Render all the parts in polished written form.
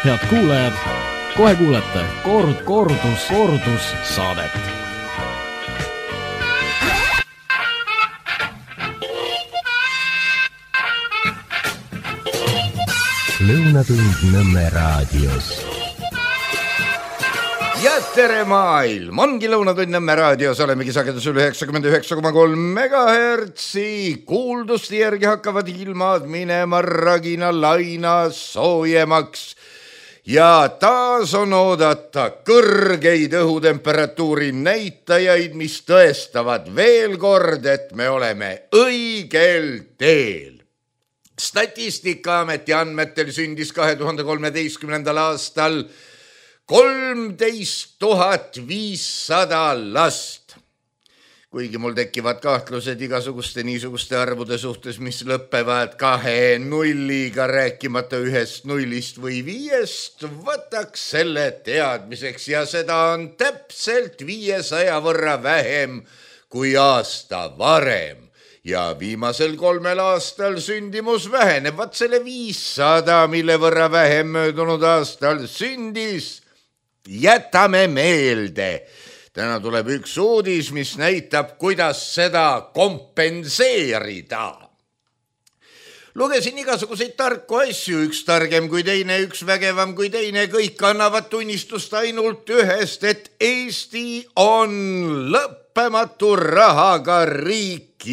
Head kuulajad, kohe kuulete kordus saadet. Lõunatund Nõmme raadios. Ja tere maailm! Ongi Lõunatund Nõmme raadios, olemegi sagedusel 99,3 megahertsi. Kuuldusti järgi hakkavad ilmad minema ragina laina soojemaks. Ja taas on oodata kõrgeid õhutemperatuuri näitajaid, mis tõestavad veel kord, et me oleme õigel teel. Statistikaameti andmetel sündis 2013. aastal 13 500 last. Kuigi mul tekivad kahtlused igasuguste niisuguste arvude suhtes, mis lõppevad 2 nulliga, rääkimata 1 nullist või 5, võtaks selle teadmiseks ja seda on täpselt 500 võrra vähem kui aasta varem. Ja viimasel 3 aastal sündimus väheneb, vaat selle 500, mille võrra vähem möödunud aastal sündis, jätame meelde. Täna tuleb üks uudis, mis näitab, kuidas seda kompenseerida. Lugesin igasuguseid tarku asju, üks targem kui teine, üks vägevam kui teine, kõik annavad tunnistust ainult ühest, et Eesti on lõppematu rahaga riik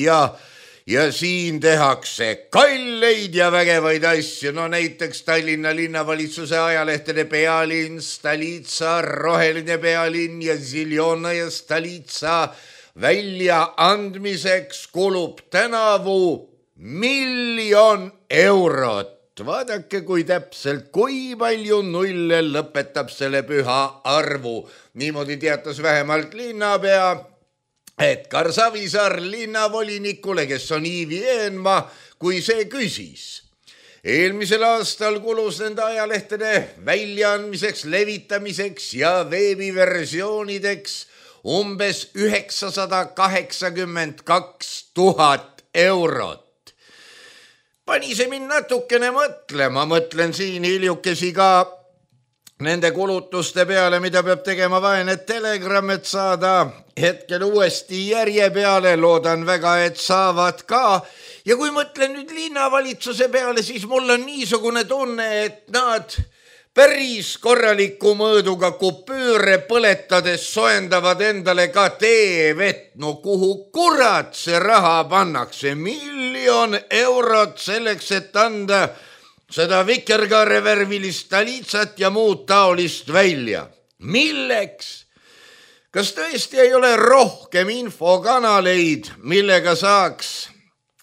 ja siin tehakse kalleid ja vägevaid asju. No näiteks Tallinna linnavalitsuse ajalehtede Pealinn, Stolitsa, Roheline Pealinn ja Ziljona ja Stolitsa väljaandmiseks kulub tänavu 1 000 000 eurot. Vaadake, kui täpselt, kui palju nulle lõpetab selle püha arvu. Niimoodi teatas vähemalt linnapea Edgar Savisaar linnavolinikule, kes on Iivi Eenmaa, kui see küsis. Eelmisel aastal kulus nende ajalehtede väljaandmiseks, levitamiseks ja veebiversioonideks umbes 982 000 eurot. Pani see mind natukene mõtlema, mõtlen siin hiljukesi ka nende kulutuste peale, mida peab tegema vaene Telegram, et saada hetkel uuesti järje peale, loodan väga, et saavad ka. Ja kui mõtlen nüüd linnavalitsuse peale, siis mul on niisugune tunne, et nad päris korraliku mõõduga kupüüre põletades soendavad endale ka teevett. No kuhu kurat see raha pannakse? 1 000 000 eurot selleks, et anda seda vikerkaarevärvilist Stolitsat ja muud taolist välja. Milleks? Kas tõesti ei ole rohkem infokanaleid, millega saaks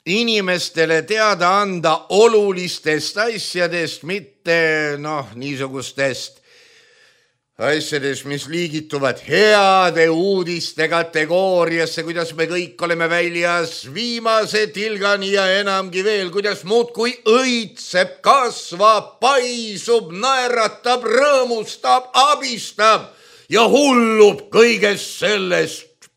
inimestele teada anda olulistest asjadest, mitte niisugustest asjadest, mis liigituvad heade uudiste kategooriasse, kuidas me kõik oleme väljas viimase tilgani ja enamgi veel, kuidas muudkui õitseb, kasvab, paisub, naeratab, rõõmustab, abistab ja hullub kõigest sellest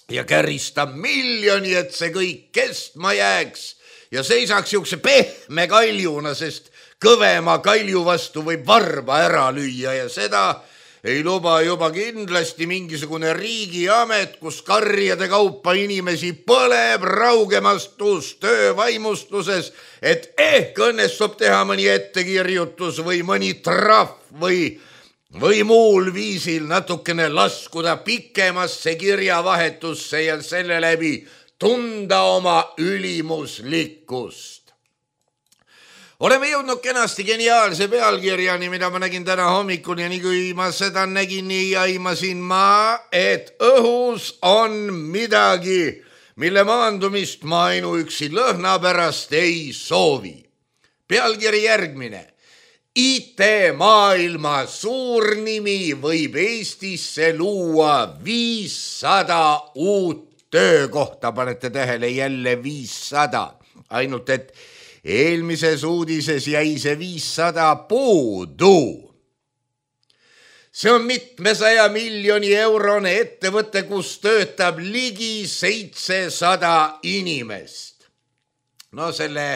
ja käristab 1 000 000, et see kõik kestma jääks ja seisaks siukse pehme kaljuna, sest kõvema kalju vastu võib varba ära lüüa ja seda ei luba juba kindlasti mingisugune riigiamet, kus karjade kaupa inimesi põleb raugemastus töövaimustuses, et õnnestub teha mõni ettekirjutus või mõni trahv või muul viisil natukene laskuda pikemasse kirjavahetusse ja selle läbi tunda oma ülimuslikkust. Oleme jõudnud kenasti geniaalse pealkirjani, mida ma nägin täna hommikul ja nii kui ma seda nägin, nii aimasin ma, et õhus on midagi, mille maandumist ma ainuüksi lõhna pärast ei soovi. Pealkiri järgmine. IT-maailma suurnimi võib Eestisse luua 500 uut töökohta. Panete tähele, jälle 500. Ainult et eelmises uudises jäi see 500 puudu. See on mitmesaja miljoni eurone ettevõte, kus töötab ligi 700 inimest. No selle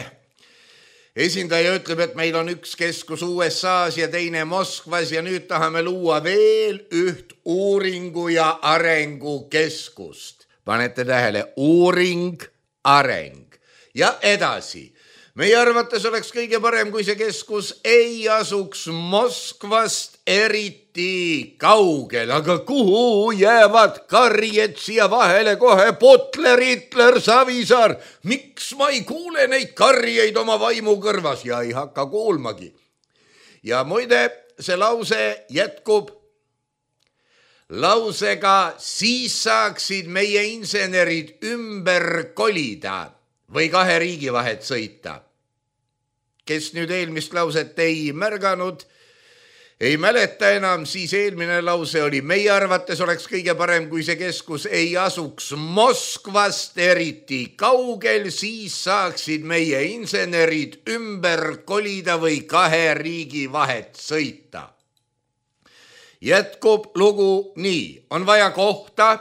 esindaja ütleb, et meil on üks keskus USA-s ja teine Moskvas ja nüüd tahame luua veel üht uuringu ja arengukeskust. Panete tähele, uuring, areng ja edasi. Meie arvates oleks kõige parem, kui see keskus ei asuks Moskvast eriti kaugel, aga kuhu jäävad karjed siia vahele kohe? Butler, Hitler, Savisaar. Miks ma ei kuule neid karjeid oma vaimu kõrvas ja ei hakka kuulmagi? Ja muide, see lause jätkub lausega, siis saaksid meie insenerid ümber kolida või kahe riigi vahet sõita. Kes nüüd eelmist lauset ei märganud, ei mäleta enam, siis eelmine lause oli, meie arvates oleks kõige parem, kui see keskus ei asuks Moskvast eriti kaugel, siis saaksid meie insenerid ümber kolida või kahe riigi vahet sõita. Jätkub lugu nii, on vaja kohta,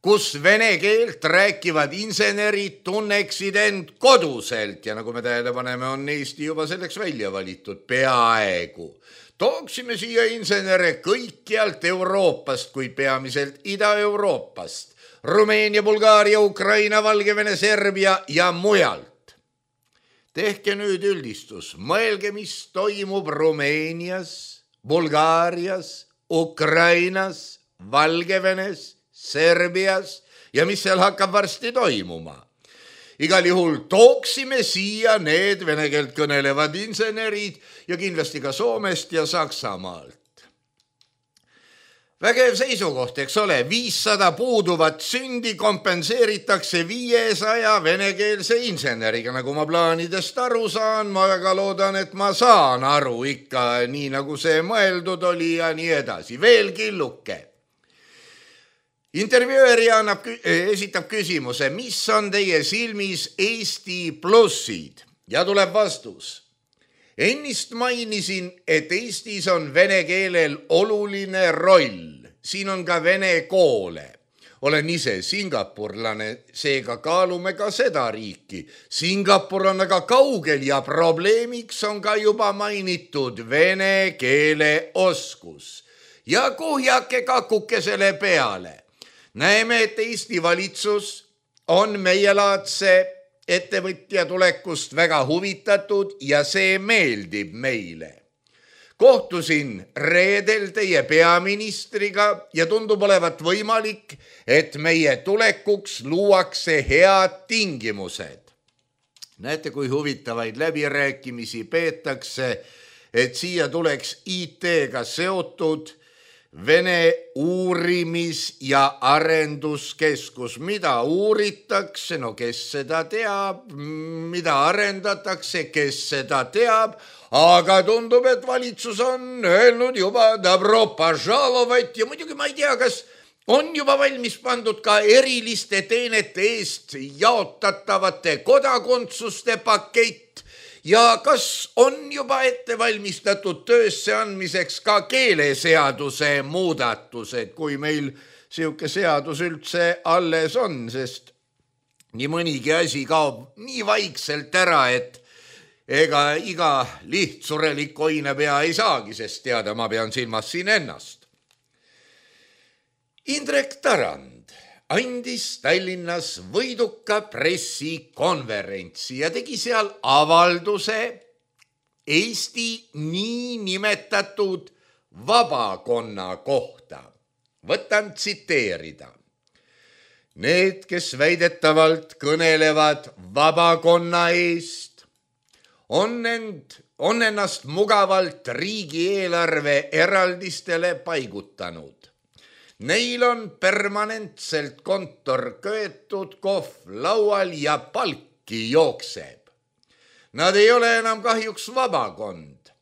kus vene keelt rääkivad insenerid tunneksid end koduselt ja nagu me tähele paneme, on Eesti juba selleks välja valitud peaaegu. Tooksime siia insenere kõikjalt Euroopast, kuid peamiselt Ida-Euroopast, Rumeenia, Bulgaaria, Ukraina, Valgevene, Serbia ja mujalt. Tehke nüüd üldistus, mõelge, mis toimub Rumeenias, Bulgaarias, Ukrainas, Valgevenes, Serbias ja mis seal hakkab varsti toimuma. Igal juhul tooksime siia need vene keelt kõnelevad insenerid ja kindlasti ka Soomest ja Saksamaalt. Vägev seisukoht, eks ole, 500 puuduvat sündi kompenseeritakse 500 venekeelse inseneriga, nagu ma plaanidest aru saan, ma väga loodan, et ma saan aru ikka nii, nagu see mõeldud oli ja nii edasi. Veel killuke. Intervjueerija esitab küsimuse, mis on teie silmis Eesti plussid? Ja tuleb vastus. Ennist mainisin, et Eestis on vene keelel oluline roll. Siin on ka vene koole. Olen ise singapurlane, seega kaalume ka seda riiki. Singapur on aga kaugel ja probleemiks on ka juba mainitud vene keele oskus. Ja kuhjake kakuke selle peale. Näeme, et Eesti valitsus on meielaadse ettevõtja tulekust väga huvitatud ja see meeldib meile. Kohtusin reedel teie peaministriga ja tundub olevat võimalik, et meie tulekuks luuakse head tingimused. Näete, kui huvitavaid läbirääkimisi peetakse, et siia tuleks IT-ga seotud Vene uurimis- ja arenduskeskus. Mida uuritakse, no kes seda teab, mida arendatakse, kes seda teab, aga tundub, et valitsus on öelnud juba dobro požalovat ja muidugi ma ei tea, kas on juba valmis pandud ka eriliste teenete eest jaotatavate kodakondsuste pakett. Ja kas on juba ette valmistatud töösse andmiseks ka keeleseaduse muudatused, kui meil siuke seadus üldse alles on, sest nii mõnigi asi kaob nii vaikselt ära, et ega iga lihtsurelik oinepea ei saagi, sest teada ma pean silmas siin ennast. Indrek Tarand andis Tallinnas võiduka pressikonverentsi ja tegi seal avalduse Eesti nii nimetatud vabakonna kohta. Võtan tsiteerida. Need, kes väidetavalt kõnelevad vabakonna eest, on ennast mugavalt riigieelarve eraldistele paigutanud. Neil on permanentselt kontor köetud, kohv laual ja palki jookseb. Nad ei ole enam kahjuks vabakond.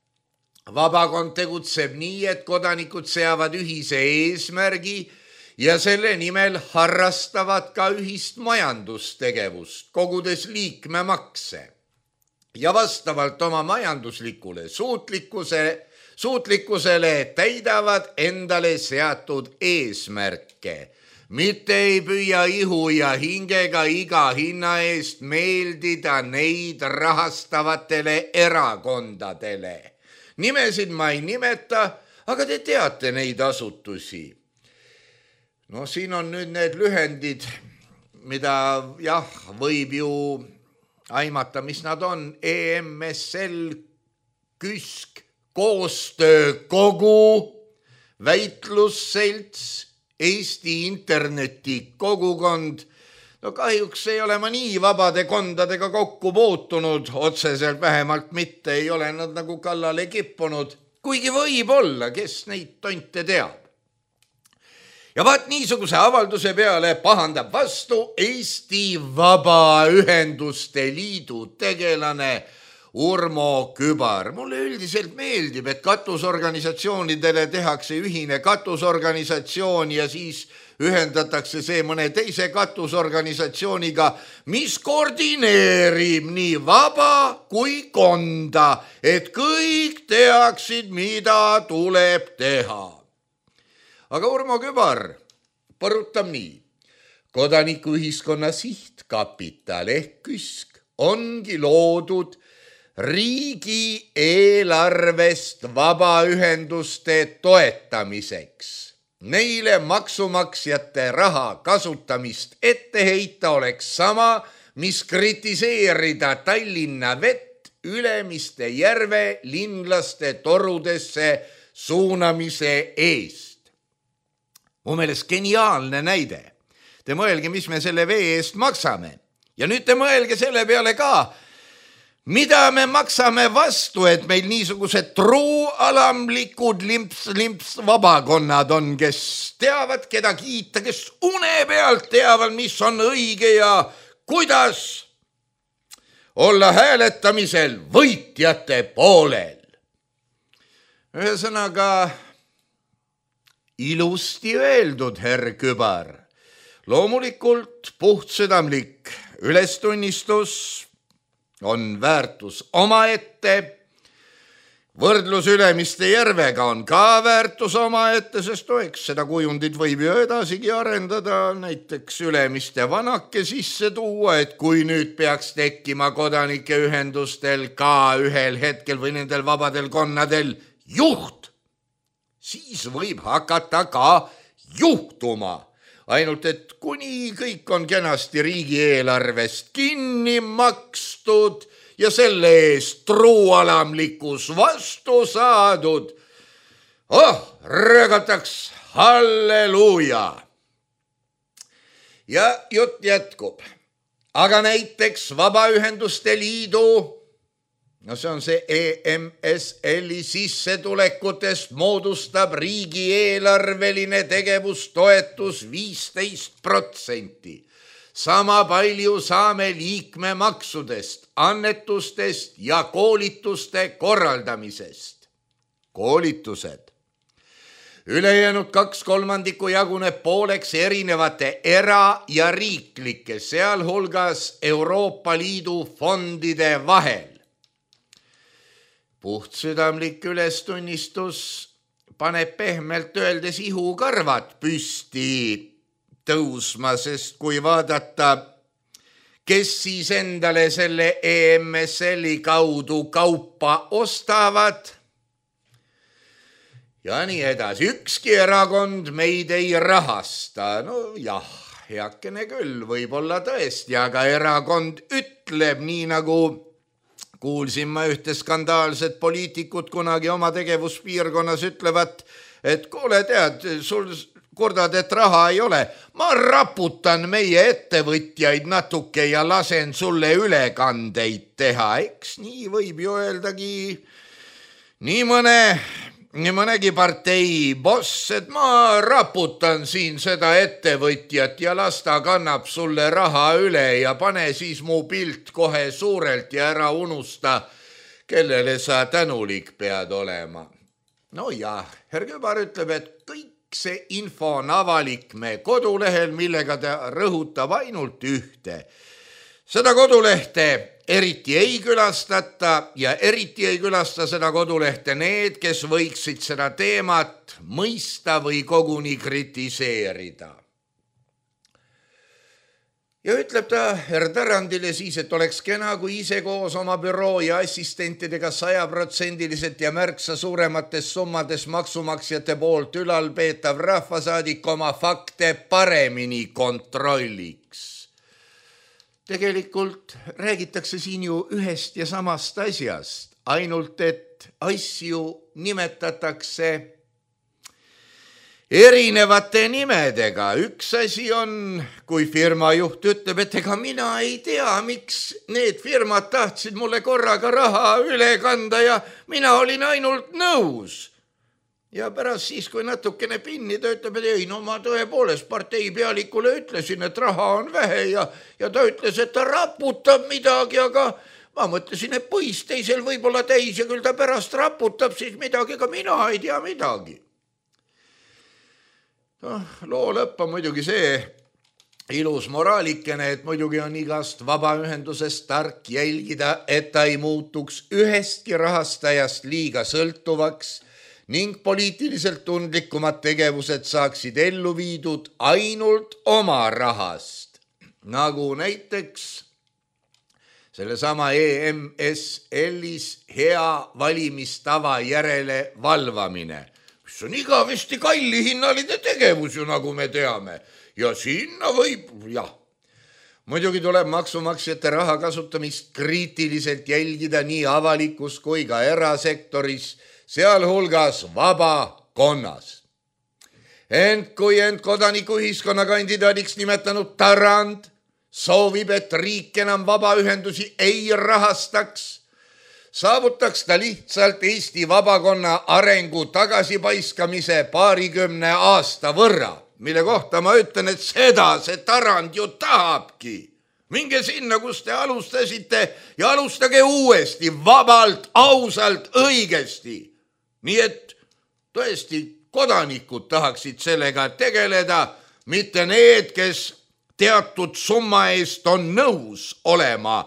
Vabakond tegutseb nii, et kodanikud seavad ühise eesmärgi ja selle nimel harrastavad ka ühist majandustegevust, kogudes liikmemakse. Ja vastavalt oma majanduslikule suutlikkusele täidavad endale seatud eesmärke. mitte ei püüa ihu ja hingega iga hinna eest meeldida neid rahastavatele erakondadele. Nimesid ma ei nimeta, aga te teate neid asutusi. No siin on nüüd need lühendid, mida jah, võib ju aimata, mis nad on. EMSL, KÜSK, koostöökogu, väitlusselts, Eesti internetikogukond. No kahjuks ei ole ma nii vabade kondadega kokku puutunud, otseselt vähemalt mitte, ei ole nad nagu kallale kippunud, kuigi võib olla, kes neid tonte teab. Ja vaat niisuguse avalduse peale pahandab vastu Eesti Vabaühenduste Liidu tegelane Urmo Kübar. Mulle üldiselt meeldib, et katusorganisatsioonidele tehakse ühine katusorganisatsioon ja siis ühendatakse see mõne teise katusorganisatsiooniga, mis koordineerib nii vaba kui konda, et kõik teaksid, mida tuleb teha. Aga Urmo Kübar põrutab nii. Kodanikuühiskonna sihtkapital ehk KÜSK ongi loodud riigi eelarvest vabaühenduste toetamiseks. Neile maksumaksjate raha kasutamist ette heita oleks sama, mis kritiseerida Tallinna Vett Ülemiste järve linlaste torudesse suunamise eest. Mu meelest geniaalne näide. Te mõelge, mis me selle vee eest maksame. Ja nüüd te mõelge selle peale ka, mida me maksame vastu, et meil niisugused truualamlikud limps vabakonnad on, kes teavad, keda kiita, kes une pealt teavad, mis on õige ja kuidas olla hääletamisel võitjate poolel. Ühesõnaga, ilusti öeldud, herr Kübar. Loomulikult puhtsüdamlik ülestunnistus on väärtus omaette. Võrdlus Ülemiste järvega on ka väärtus omaette, sest eks seda kujundit võib ju edasigi arendada, näiteks Ülemiste vanake sisse tuua, et kui nüüd peaks tekkima kodanike ühendustel ka ühel hetkel või nendel vabadel konnadel juht, siis võib hakata ka juhtuma. Ainult, et kuni kõik on kenasti riigieelarvest kinni makstud ja selle eest truualamlikus vastu saadud, röögataks halleluuja. Ja jutt jätkub. Aga näiteks Vabaühenduste Liidu, no see on see EMSL-i sissetulekutest moodustab riigieelarveline tegevustoetus 15%. Sama palju saame liikmemaksudest, annetustest ja koolituste korraldamisest. Koolitused. Ülejäänud 2/3 jaguneb pooleks erinevate era- ja riiklike, sealhulgas Euroopa Liidu fondide vahel. Puhtsüdamlik ülestunnistus paneb pehmelt öeldes ihukarvad püsti tõusma, sest kui vaadata, kes siis endale selle EMSL-i kaudu kaupa ostavad ja nii edasi. Ükski erakond meid ei rahasta. No jah, heakene küll, võib-olla tõesti, aga erakond ütleb nii nagu kuulsin ma ühte skandaalset poliitikut kunagi oma tegevuspiirkonnas ütlevat, et kuule tead, sul kordad, et raha ei ole. Ma raputan meie ettevõtjaid natuke ja lasen sulle ülekandeid teha. Eks nii võib ju öeldagi nii mõnegi partei boss, et ma raputan siin seda ettevõtjat ja las ta kannab sulle raha üle ja pane siis mu pilt kohe suurelt ja ära unusta, kellele sa tänulik pead olema. No jah, herr Kübar ütleb, et kõik see info on avalik me kodulehel, millega ta rõhutab ainult ühte. Seda kodulehte eriti ei külastata ja eriti ei külasta seda kodulehte need, kes võiksid seda teemat mõista või koguni kritiseerida. Ja ütleb ta Tarandile siis, et oleks kena, kui ise koos oma büroo ja assistentidega 100% ja märksa suuremates summades maksumaksjate poolt ülalpeetav rahvasaadik oma fakte paremini kontrolliks. Tegelikult räägitakse siin ju ühest ja samast asjast, ainult et asju nimetatakse erinevate nimedega. Üks asi on, kui firma juht ütleb, et ega mina ei tea, miks need firmad tahtsid mulle korraga raha üle kanda ja mina olin ainult nõus. Ja pärast siis, kui natukene pinni ta ütleb, et ei, no ma tõepoolest partei pealikule ütlesin, et raha on vähe ja ta ütles, et ta raputab midagi, aga ma mõtlesin, et põis teisel võib-olla täis ja küll ta pärast raputab siis midagi, aga mina ei tea midagi. Loo lõpp on muidugi see ilus moraalikene, et muidugi on igast vabaühendusest tark jälgida, et ta ei muutuks ühestki rahastajast liiga sõltuvaks ning poliitiliselt tundlikumad tegevused saaksid ellu viidud ainult oma rahast, nagu näiteks sellesama EMSL-is hea valimistava järele valvamine, mis on igavesti kallihinnaline tegevus ju, nagu me teame. Ja sinna võib, muidugi tuleb maksumaksjate raha kasutamist kriitiliselt jälgida nii avalikus kui ka erasektoris, sealhulgas vabakonnas. Ent kui kodanikuühiskonna kandidaadiks nimetanud Tarand soovib, et riik enam vabaühendusi ei rahastaks, saavutaks ta lihtsalt Eesti vabakonna arengu tagasipaiskamise 20 aasta võrra, mille kohta ma ütlen, et seda see Tarand ju tahabki. Minge sinna, kus te alustasite ja alustage uuesti, vabalt, ausalt, õigesti. Nii et tõesti kodanikud tahaksid sellega tegeleda, mitte need, kes teatud summa eest on nõus olema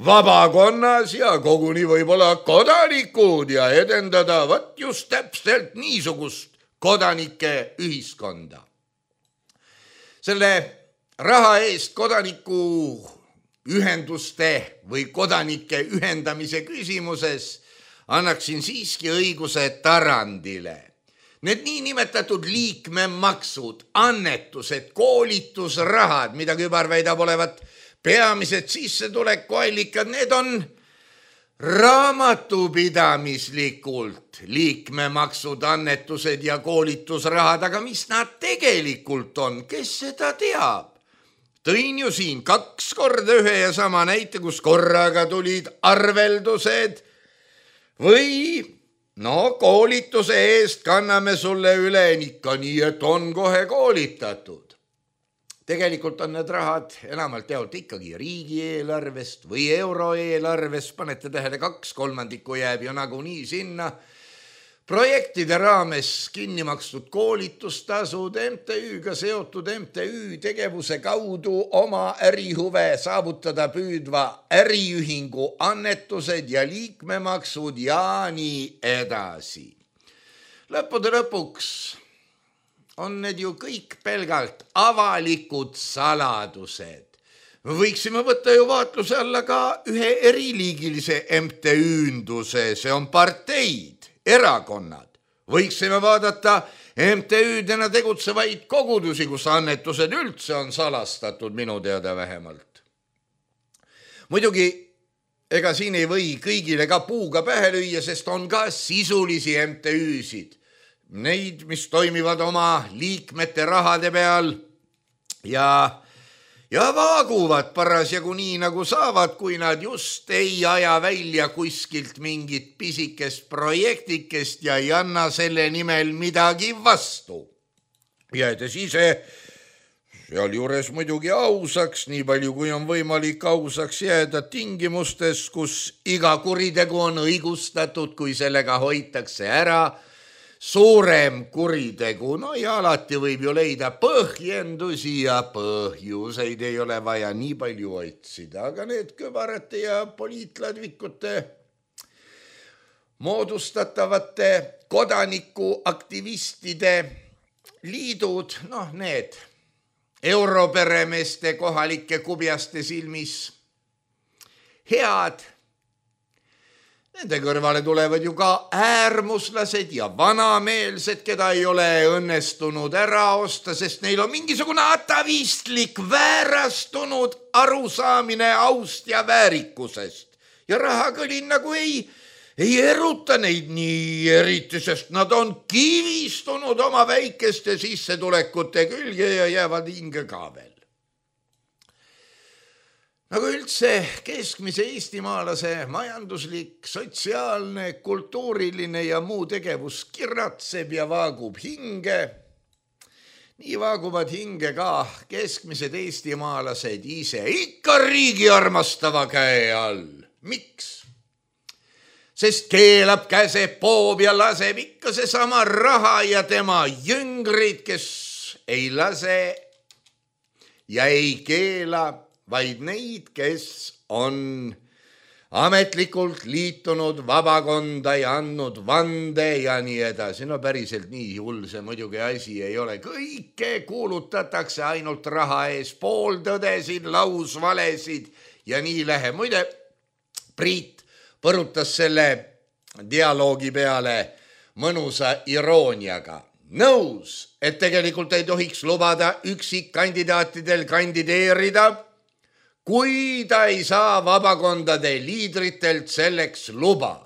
vabakonnas ja koguni võib-olla kodanikud ja edendada just täpselt niisugust kodanike ühiskonda. Selle raha eest kodaniku ühenduste või kodanike ühendamise küsimuses annaksin siiski õiguse Tarandile. Need niinimetatud liikmemaksud, annetused, koolitusrahad, mida Kübar väidab olevat peamised sissetulekuallikad, need on raamatupidamislikult liikmemaksud, annetused ja koolitusrahad, aga mis nad tegelikult on, kes seda teab? Tõin ju siin 2 korda ühe ja sama näite, kus korraga tulid arveldused või koolituse eest kanname sulle üle ikka nii, et on kohe koolitatud. Tegelikult on need rahad enamalt jaolt ikkagi riigieelarvest või euroeelarvest, panete tähele, 2/3 jääb ju nagunii sinna. Projektide raames kinni makstud koolitustasud, MTÜ-ga seotud MTÜ tegevuse kaudu oma ärihuve saavutada püüdva äriühingu annetused ja liikmemaksud ja nii edasi. Lõppude lõpuks on need ju kõik pelgalt avalikud saladused. Me võiksime võtta ju vaatluse alla ka ühe eriliigilise MTÜ-nduse, see on parteid, erakonnad. Võiksime vaadata MTÜ-dena tegutsevaid kogudusi, kus annetused üldse on salastatud, minu teada vähemalt. Muidugi, ega siin ei või kõigile ka puuga pähe lüüa, sest on ka sisulisi MTÜ-sid. Neid, mis toimivad oma liikmete rahade peal ja vaaguvad parasjagu nii, nagu saavad, kui nad just ei aja välja kuskilt mingit pisikest projektikest ja ei anna selle nimel midagi vastu. Jäädes ise sealjuures muidugi ausaks, nii palju kui on võimalik ausaks jääda tingimustes, kus iga kuritegu on õigustatud, kui sellega hoitakse ära suurem kuritegu. Ja alati võib ju leida põhjendusi ja põhjuseid ei ole vaja nii palju otsida, aga need Kübarate ja poliitladvikute moodustatavate kodanikuaktivistide liidud, need europeremeeste kohalike kubjaste silmis head. Nende kõrvale tulevad ju ka äärmuslased ja vanameelsed, keda ei ole õnnestunud ära osta, sest neil on mingisugune atavistlik väärastunud arusaamine aust ja väärikusest. Ja rahakõlin nagu ei eruta neid nii eriti, sest nad on kivistunud oma väikeste sissetulekute külge ja jäävad hinge ka veel. Nagu üldse keskmise eestimaalase majanduslik, sotsiaalne, kultuuriline ja muu tegevus kiratseb ja vaagub hinge, nii vaaguvad hinge ka keskmised eestimaalased ise ikka riigi armastava käe all. Miks? Sest keelab, käseb, poob ja laseb ikka seesama raha ja tema jüngrid, kes ei lase ja ei keela, vaid neid, kes on ametlikult liitunud vabakonda ja andnud vande ja nii edasi. No päriselt nii hull see muidugi asi ei ole. Kõike kuulutatakse ainult raha ees, pooltõdesid, lausvalesid ja nii läheb. Muide, Priit põrutas selle dialoogi peale mõnusa irooniaga. Nõus, et tegelikult ei tohiks lubada üksikkandidaatidel kandideerida, kui ta ei saa vabakondade liidritelt selleks luba.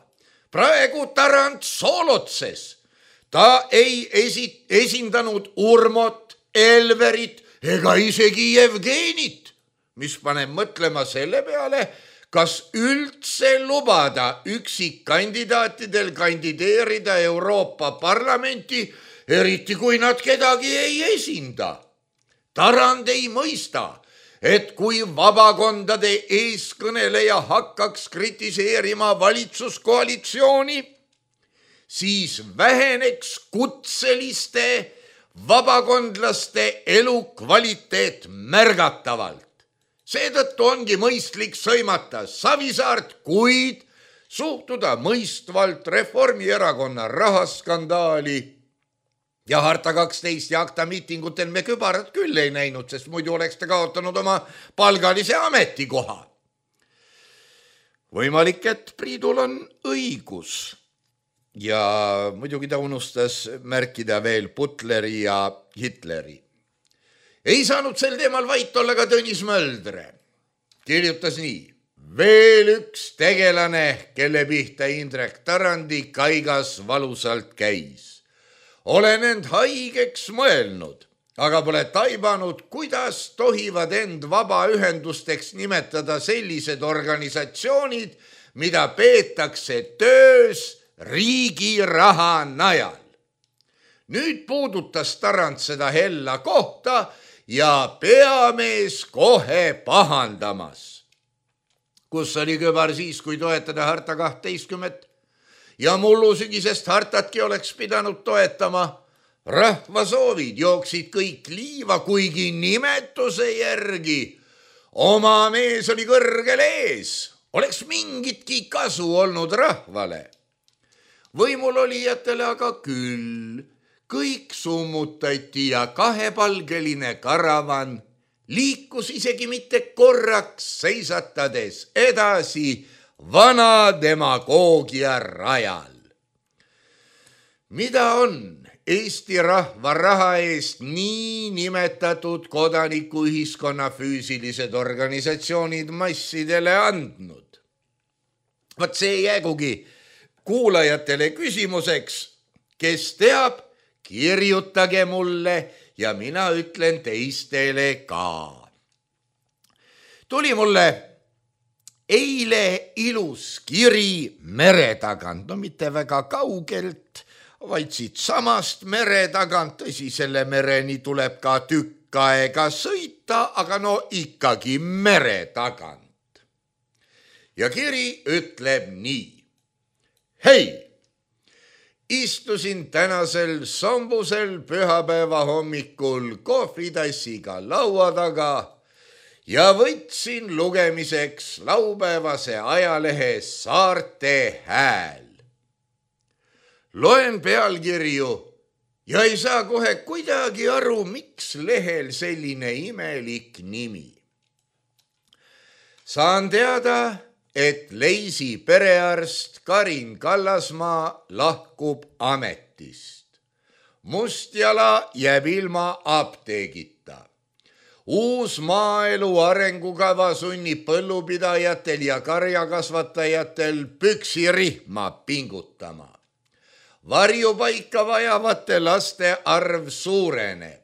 Praegu Tarand soolotses. Ta ei esindanud Urmot, Elverit ega isegi Jevgenit, mis paneb mõtlema selle peale, kas üldse lubada üksikkandidaatidel kandideerida Euroopa Parlamenti, eriti kui nad kedagi ei esinda. Tarand ei mõista, et kui vabakondade eeskõneleja hakkaks kritiseerima valitsuskoalitsiooni, siis väheneks kutseliste vabakondlaste elukvaliteet märgatavalt. Seetõttu ongi mõistlik sõimata Savisaart, kuid suhtuda mõistvalt Reformierakonna rahaskandaali. Ja Harta 12 ja akta miitingutel me kübarat küll ei näinud, sest muidu oleks ta kaotanud oma palgalise ametikoha. Võimalik, et Priidul on õigus. Ja muidugi ta unustas märkida veel Butleri ja Hitleri. Ei saanud sel teemal vait olla ka Tõnis Möldre. Kirjutas nii. Veel üks tegelane, kelle pihta Indrek Tarandi kaigas valusalt käis. Olen end haigeks mõelnud, aga pole taibanud, kuidas tohivad end vabaühendusteks nimetada sellised organisatsioonid, mida peetakse töös riigi raha najal. Nüüd puudutas Tarand seda hella kohta ja peamees kohe pahandamas. Kus oli kübar siis, kui toetada Harta 12? Ja mullu sügisest hartatki oleks pidanud toetama. Rahva soovid jooksid kõik liiva, kuigi nimetuse järgi. Oma mees oli kõrgel ees. Oleks mingitki kasu olnud rahvale. Võimul olijatele aga küll. Kõik summutati ja kahepalgeline karavan liikus isegi mitte korraks seisatades edasi vana demagoogia rajal. Mida on Eesti rahva raha eest nii nimetatud kodanikuühiskonna füüsilised organisatsioonid massidele andnud? Vaat see jäägugi kuulajatele küsimuseks, kes teab, kirjutage mulle ja mina ütlen teistele ka. Tuli mulle eile ilus kiri mere tagant, no mitte väga kaugelt, vaid siit samast mere tagant, tõsi, selle mereni tuleb ka tükk aega sõita, aga no ikkagi mere tagant. Ja kiri ütleb nii. Hei, istusin tänasel sombusel pühapäeva hommikul kohvitassiga laua taga ja võtsin lugemiseks laupäevase ajalehe Saarte Hääl. Loen pealkirju ja ei saa kohe kuidagi aru, miks lehel selline imelik nimi. Saan teada, et Leisi perearst Karin Kallasmaa lahkub ametist. Mustjala jääb ilma apteegita. Uus maaelu arengukava sunnib põllupidajatel ja karjakasvatajatel püksirihma pingutama. Varjupaika vajavate laste arv suureneb.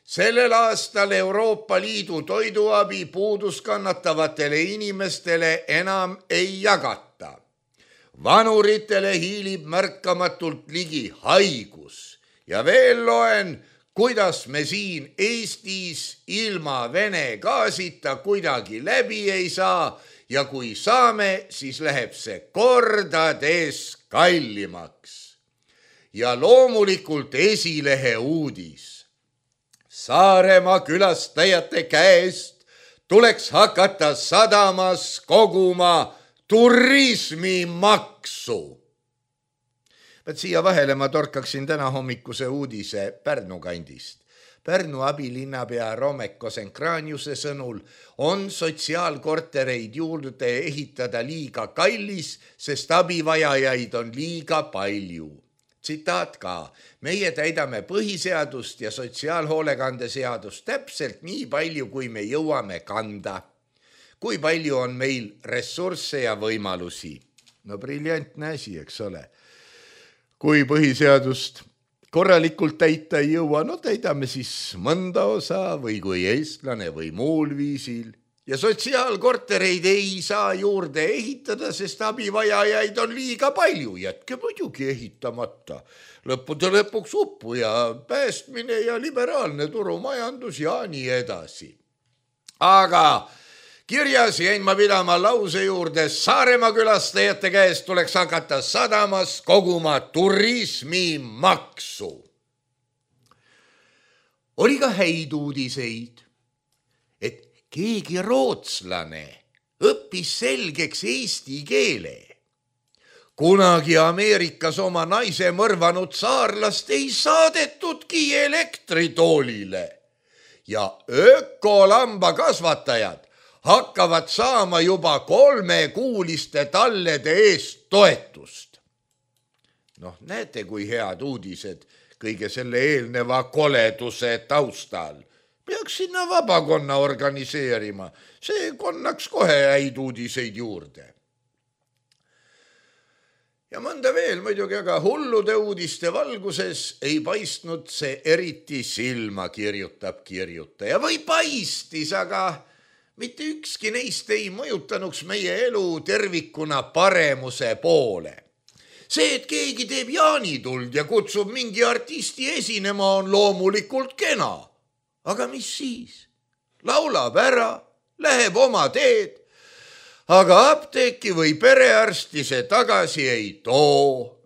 Sellel aastal Euroopa Liidu toiduabi puudust kannatavatele inimestele enam ei jagata. Vanuritele hiilib märkamatult ligi haigus ja veel loen, kuidas me siin Eestis ilma Vene gaasita kuidagi läbi ei saa ja kui saame, siis läheb see kordades kallimaks. Ja loomulikult esilehe uudis. Saaremaa külastajate käest tuleks hakata sadamas koguma turismimaksu. Siia vahele ma torkaksin täna hommikuse uudise Pärnu kandist. Pärnu abilinnapea Romek Kosenkraaniuse sõnul on sotsiaalkortereid juurde ehitada liiga kallis, sest abivajajaid on liiga palju. Tsitaat ka, meie täidame põhiseadust ja sotsiaalhoolekande seadust täpselt nii palju, kui me jõuame kanda. Kui palju on meil ressursse ja võimalusi? No briljantne asi, eks ole. Kui põhiseadust korralikult täita ei jõua, no täidame siis mõnda osa või kui eestlane või muul viisil. Ja sotsiaalkortereid ei saa juurde ehitada, sest abivajajaid on liiga palju. Jätke muidugi ehitamata. Lõppude lõpuks uppu ja päästmine ja liberaalne turumajandus ja nii edasi. Aga kirjas jäin ma pidama lause juurde, Saaremaa külastajate käest tuleks hakata sadamas koguma turismimaksu. Oli ka häid uudiseid, et keegi rootslane õppis selgeks eesti keele. Kunagi Ameerikas oma naise mõrvanud saarlast ei saadetudki elektritoolile ja ökolambakasvatajad hakkavad saama juba 3-kuuliste tallede eest toetust. Noh, näete, kui head uudised kõige selle eelneva koleduse taustal. Peaks sinna vabakonna organiseerima, see konnaks kohe häid uudiseid juurde. Ja mõnda veel muidugi, aga hullude uudiste valguses ei paistnud see eriti silma, kirjutab kirjutaja. Või paistis, aga mitte ükski neist ei mõjutanuks meie elu tervikuna paremuse poole. See, et keegi teeb jaanituld ja kutsub mingi artisti esinema, on loomulikult kena. Aga mis siis? Laulab ära, läheb oma teed, aga apteeki või perearsti see tagasi ei too.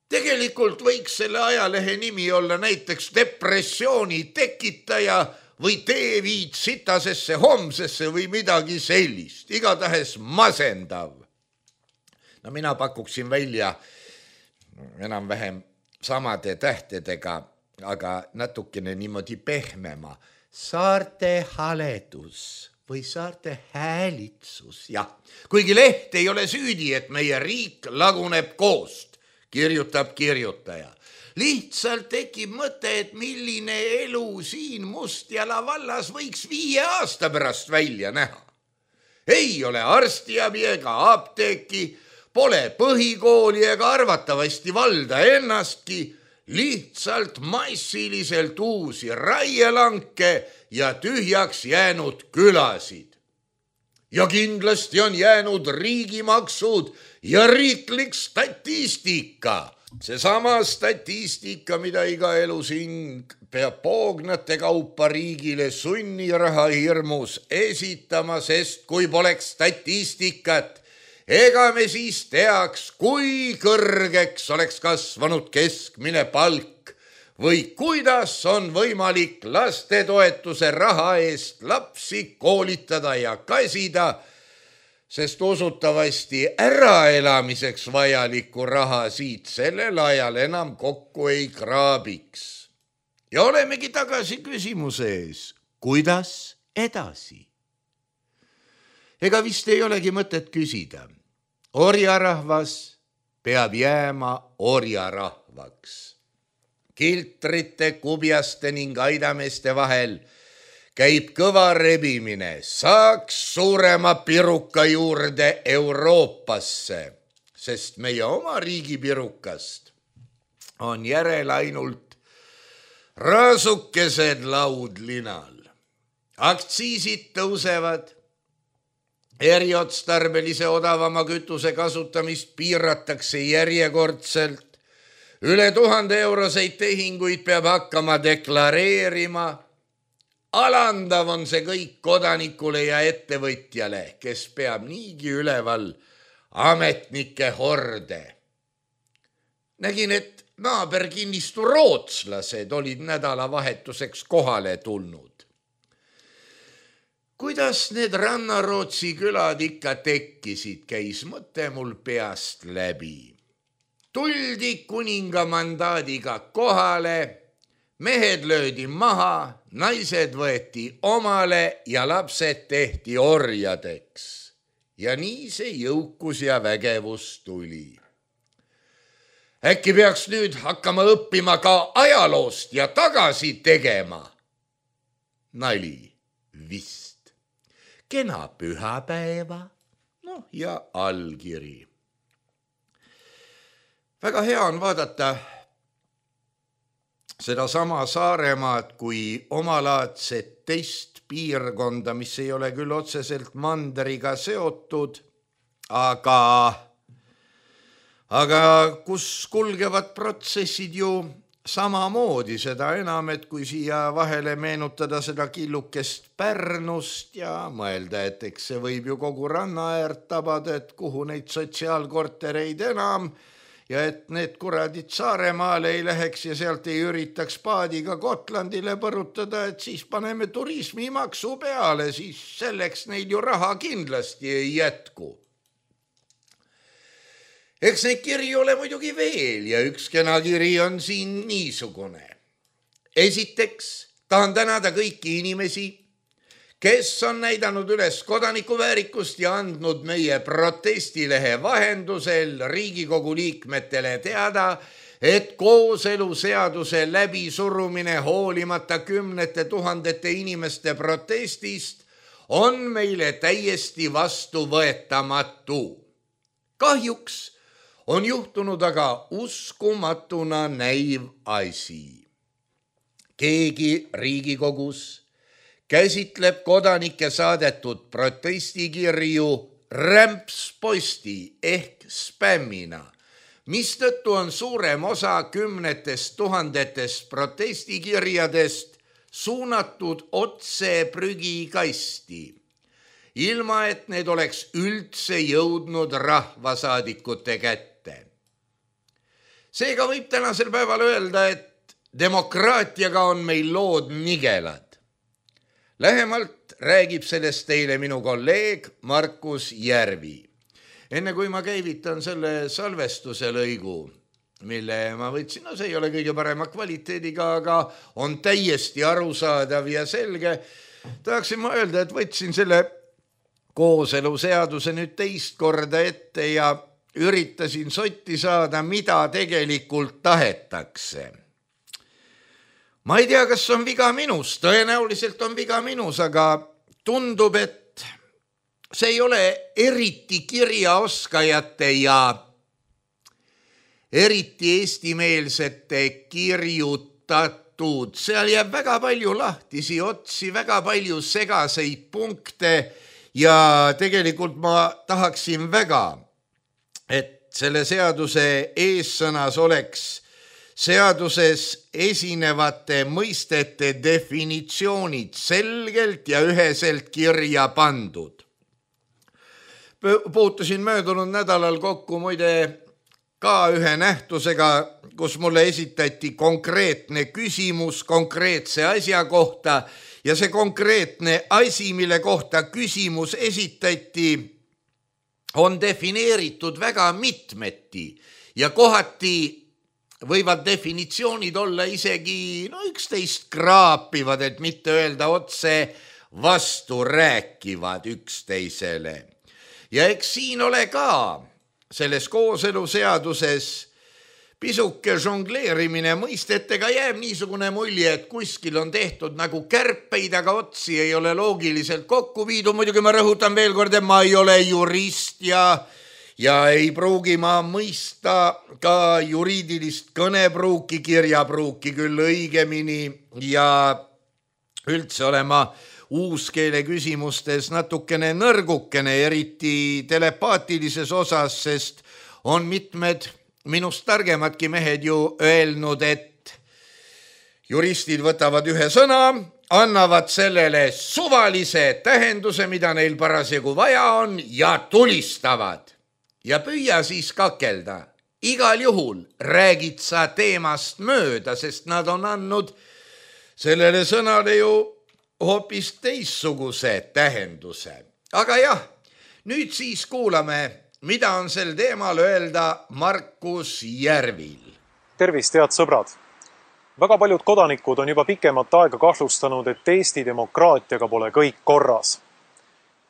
Tegelikult võiks selle ajalehe nimi olla näiteks depressiooni tekitaja või tee viid sitasesse homsesse või midagi sellist, igatahes masendav. No mina pakuksin välja enam-vähem samade tähtedega, aga natukene niimoodi pehmema. Saarte haledus või saarte häälitsus, jah. Kuigi leht ei ole süüdi, et meie riik laguneb koost, kirjutab kirjutaja. Lihtsalt tekib mõte, et milline elu siin Mustjala vallas võiks 5 aasta pärast välja näha. Ei ole arstiabi ega apteeki, pole põhikooli ega arvatavasti valda ennastki, lihtsalt massiliselt uusi raielanke ja tühjaks jäänud külasid. Ja kindlasti on jäänud riigimaksud ja riiklik statistika. Seesama statistika, mida iga elusing peab poognate kaupa riigile sunniraha hirmus esitama, sest kui poleks statistikat, ega me siis teaks, kui kõrgeks oleks kasvanud keskmine palk või kuidas on võimalik lastetoetuse raha eest lapsi koolitada ja kasida. sest usutavasti äraelamiseks vajalikku raha siit sellel ajal enam kokku ei kraabiks. Ja olemegi tagasi küsimuse ees, kuidas edasi? Ega vist ei olegi mõtet küsida. Orjarahvas peab jääma orjarahvaks. Kiltrite, kubjaste ning aidameeste vahel käib kõva rebimine, saaks suurema piruka juurde Euroopasse, sest meie oma riigi pirukast on järel ainult raasukesed laudlinal. Aktsiisid tõusevad, eriotstarbelise odavama kütuse kasutamist piiratakse järjekordselt, üle 1000 euroseid tehinguid peab hakkama deklareerima. Alandav on see kõik kodanikule ja ettevõtjale, kes peab niigi üleval ametnike horde. Nägin, et naaberkinnistu rootslased olid nädalavahetuseks kohale tulnud. Kuidas need Rannarootsi külad ikka tekkisid, käis mõte mul peast läbi. Tuldi kuninga mandaadiga kohale, mehed löödi maha, naised võeti omale ja lapsed tehti orjadeks. Ja nii see jõukus ja vägevus tuli. Äkki peaks nüüd hakkama õppima ka ajaloost ja tagasi tegema? Nali vist. Kena pühapäeva, ja allkiri. Väga hea on vaadata seda sama Saaremaad kui omalaadset teist piirkonda, mis ei ole küll otseselt mandriga seotud, aga kus kulgevad protsessid ju samamoodi, seda enam, et kui siia vahele meenutada seda killukest Pärnust ja mõelda, et eks see võib ju kogu rannaäärt tabada, et kuhu neid sotsiaalkortereid enam ja et need kuradid Saaremaale ei läheks ja sealt ei üritaks paadiga Gotlandile põrutada, et siis paneme turismimaksu peale, siis selleks neil ju raha kindlasti ei jätku. Eks neid kirju ole muidugi veel ja üks kena kiri on siin niisugune. Esiteks tahan tänada kõiki inimesi, kes on näidanud üles kodanikuväärikust ja andnud meie protestilehe vahendusel Riigikogu liikmetele teada, et kooseluseaduse läbisurumine hoolimata 10 000 inimeste protestist on meile täiesti vastuvõetamatu. Kahjuks on juhtunud aga uskumatuna näiv asi. Keegi Riigikogus käsitleb kodanike saadetud protestikirju rämpsposti ehk spämmina, mistõttu on suurem osa 10 000 protestikirjadest suunatud otse prügikasti, ilma et need oleks üldse jõudnud rahvasaadikute kätte. Seega võib tänasel päeval öelda, et demokraatiaga on meil lood nigelad. Lähemalt räägib sellest teile minu kolleeg Markus Järvi. Enne kui ma käivitan selle salvestuse lõigu, mille ma võtsin, see ei ole kõige parema kvaliteediga, aga on täiesti arusaadav ja selge, tahaksin ma öelda, et võtsin selle kooseluseaduse nüüd teist korda ette ja üritasin sotti saada, mida tegelikult tahetakse. Ma ei tea, kas on viga minus, tõenäoliselt on viga minus, aga tundub, et see ei ole eriti kirjaoskajate ja eriti eestimeelsete kirjutatud. Seal jääb väga palju lahtisi otsi, väga palju segaseid punkte ja tegelikult ma tahaksin väga, et selle seaduse eessõnas oleks seaduses esinevate mõistete definitsioonid selgelt ja üheselt kirja pandud. Puutusin möödunud nädalal kokku muide ka ühe nähtusega, kus mulle esitati konkreetne küsimus konkreetse asja kohta ja see konkreetne asi, mille kohta küsimus esitati, on defineeritud väga mitmeti ja kohati võivad definitsioonid olla isegi üksteist kraapivad, et mitte öelda otse vastu rääkivad üksteisele. Ja eks siin ole ka selles kooseluseaduses pisuke žongleerimine mõistetega, jääb niisugune mulje, et kuskil on tehtud nagu kärpeid, aga otsi ei ole loogiliselt kokku viidud. Muidugi ma rõhutan veel kord, et ma ei ole jurist ja ei pruugi ma mõista ka juriidilist kõnepruuki, kirjapruuki küll õigemini ja üldse olema uuskeele küsimustes natukene nõrgukene, eriti telepaatilises osas, sest on mitmed minust targemadki mehed ju öelnud, et juristid võtavad ühe sõna, annavad sellele suvalise tähenduse, mida neil parasjagu vaja on ja tulistavad. Ja püüa siis kakelda. Igal juhul räägid sa teemast mööda, sest nad on andnud sellele sõnale ju hoopis teissuguse tähenduse. Aga jah, nüüd siis kuulame, mida on sel teemal öelda Markus Järvil. Tervist, head sõbrad! Väga paljud kodanikud on juba pikemat aega kahtlustanud, et Eesti demokraatiaga pole kõik korras.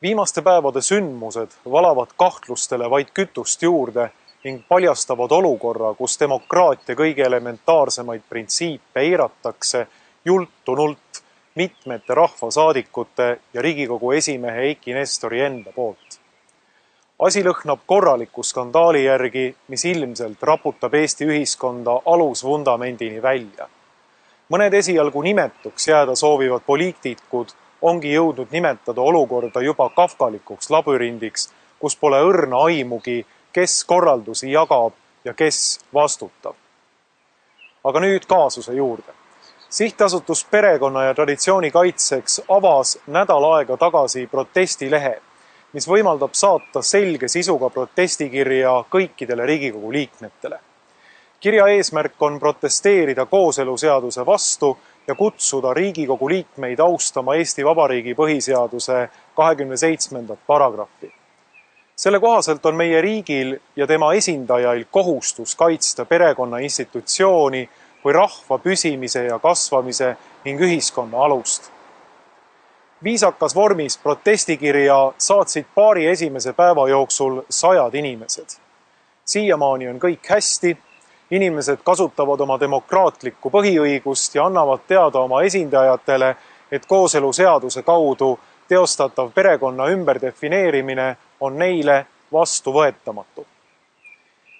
Viimaste päevade sündmused valavad kahtlustele vaid kütust juurde ning paljastavad olukorra, kus demokraatia kõige elementaarsemaid printsiipe eiratakse jultunult mitmete rahvasaadikute ja Riigikogu esimehe Eiki Nestori enda poolt. Asi lõhnab korraliku skandaali järgi, mis ilmselt raputab Eesti ühiskonda alusvundamendini välja. Mõned esialgu nimetuks jääda soovivad poliitikud ongi jõudnud nimetada olukorda juba kafkalikuks labürindiks, kus pole õrna aimugi, kes korraldusi jagab ja kes vastutab. Aga nüüd kaasuse juurde. Sihtasutus Perekonna ja Traditsiooni kaitseks avas nädal aega tagasi protestilehe, mis võimaldab saata selge sisuga protestikirja kõikidele Riigikogu liikmetele. Kirja eesmärk on protesteerida kooseluseaduse vastu ja kutsuda Riigikogu liikmeid austama Eesti Vabariigi põhiseaduse 27. paragrahvi. Selle kohaselt on meie riigil ja tema esindajail kohustus kaitsta perekonna institutsiooni kui rahva püsimise ja kasvamise ning ühiskonna alust. Viisakas vormis protestikirja saatsid paari esimese päeva jooksul 100 inimesed. Siiamaani on kõik hästi. Inimesed kasutavad oma demokraatlikku põhiõigust ja annavad teada oma esindajatele, et kooseluseaduse kaudu teostatav perekonna ümberdefineerimine on neile vastuvõetamatu.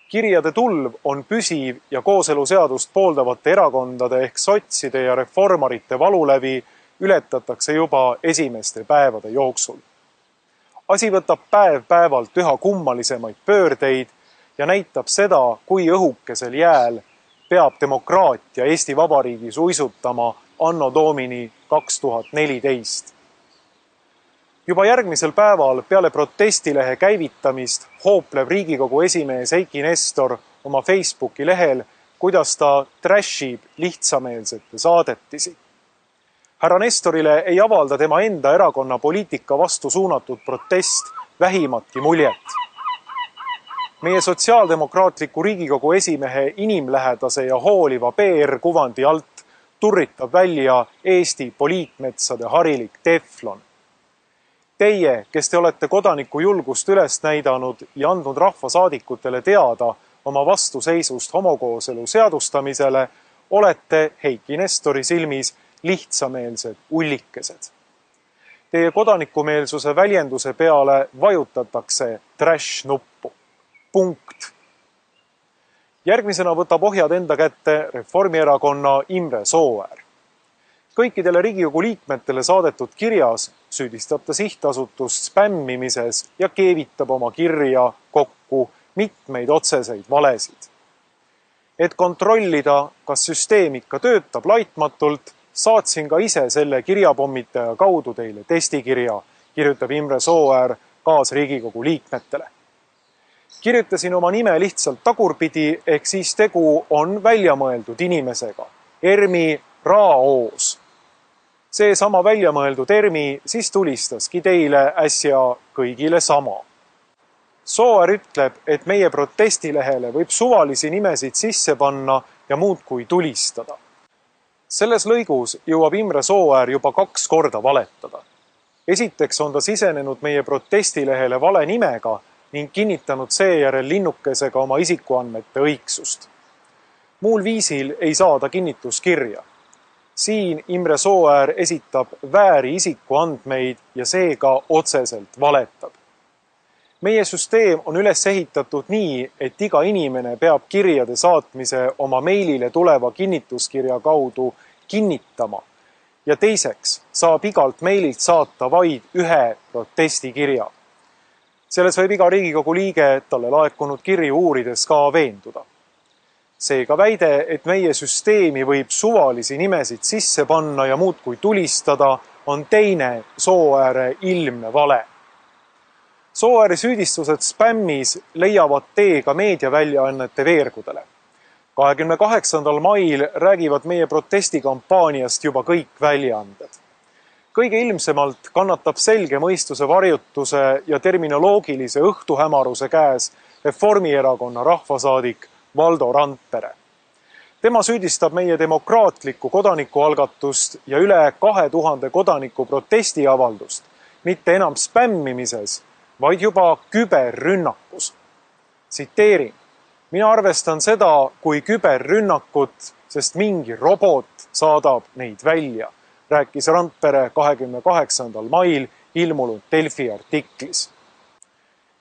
Kirjade tulv on püsiv ja kooseluseadust pooldavate erakondade ehk sotside ja reformarite valulävi ületatakse juba esimeste päevade jooksul. Asi võtab päev-päevalt üha kummalisemaid pöördeid ja näitab seda, kui õhukesel jääl peab demokraatia Eesti Vabariigis uisutama anno domini 2014. Juba järgmisel päeval peale protestilehe käivitamist hoopleb Riigikogu esimees Eiki Nestor oma Facebooki lehel, kuidas ta trashib lihtsameelsete saadetisi. Härra Nestorile ei avalda tema enda erakonna poliitika vastu suunatud protest vähimatki muljet. Meie sotsiaaldemokraatliku Riigikogu esimehe inimlähedase ja hooliva PR-kuvandi alt turritab välja Eesti poliitmetsade harilik teflon. Teie, kes te olete kodaniku julgust üles näidanud ja andnud rahvasaadikutele teada oma vastuseisust homokooselu seadustamisele, olete Eiki Nestori silmis lihtsameelsed ullikesed. Teie kodanikumeelsuse väljenduse peale vajutatakse trash-nuppu. Punkt. Järgmisena võtab ohjad enda kätte Reformierakonna Imre Sooäär. Kõikidele Riigikogu liikmetele saadetud kirjas süüdistab ta sihtasutust spämmimises ja keevitab oma kirja kokku mitmeid otseseid valesid. Et kontrollida, kas süsteem ikka töötab laitmatult, saatsin ka ise selle kirjapommitaja kaudu teile testikirja, kirjutab Imre Sooäär kaasriigikogu liikmetele. Kirjutasin oma nime lihtsalt tagurpidi, ehk siis tegu on väljamõeldud inimesega, Ermi Raoos. See sama väljamõeldud Ermi siis tulistaski teile äsja kõigile sama. Sooäär ütleb, et meie protestilehele võib suvalisi nimesid sisse panna ja muudkui tulistada. Selles lõigus jõuab Imre Sooäär juba 2 korda valetada. Esiteks on ta sisenenud meie protestilehele vale nimega ning kinnitanud seejärel linnukesega oma isikuandmete õigsust. Muul viisil ei saa ta kinnituskirja. Siin Imre Sooäär esitab vääri isikuandmeid ja seega otseselt valetab. Meie süsteem on üles ehitatud nii, et iga inimene peab kirjade saatmise oma meilile tuleva kinnituskirja kaudu kinnitama ja teiseks saab igalt meililt saata vaid ühe protestikirja. Selles võib iga Riigikogu liige talle laekunud kirju uurides ka veenduda. Seega väide, et meie süsteemi võib suvalisi nimesid sisse panna ja muudkui tulistada, on teine Sooääre ilmne vale. Sooääri süüdistused spämmis leiavad tee ka meediaväljaannete veergudele. 28. mail räägivad meie protestikampaaniast juba kõik väljaanded. Kõige ilmsemalt kannatab selge mõistuse varjutuse ja terminoloogilise õhtuhämaruse käes Reformierakonna rahvasaadik Valdo Randpere. Tema süüdistab meie demokraatlikku kodanikualgatust ja üle 2000 kodaniku protestiavaldust mitte enam spämmimises, vaid juba küberrünnakus. Tsiteerin, mina arvestan seda kui küberrünnakut, sest mingi robot saadab neid välja, rääkis Randpere 28. mail ilmunud Delfi artiklis.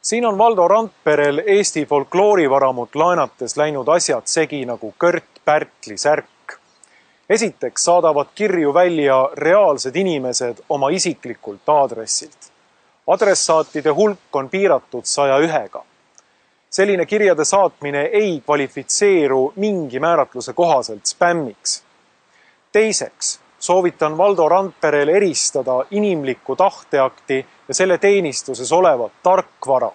Siin on Valdo Randperel Eesti folkloorivaramut laenates läinud asjad segi nagu Kört Pärtli särk. Esiteks saadavad kirju välja reaalsed inimesed oma isiklikult aadressilt. Adressaatide hulk on piiratud 101-ga. Selline kirjade saatmine ei kvalifitseeru mingi määratluse kohaselt spämmiks. Teiseks soovitan Valdo Randperel eristada inimlikku tahteakti ja selle teenistuses olevat tarkvara.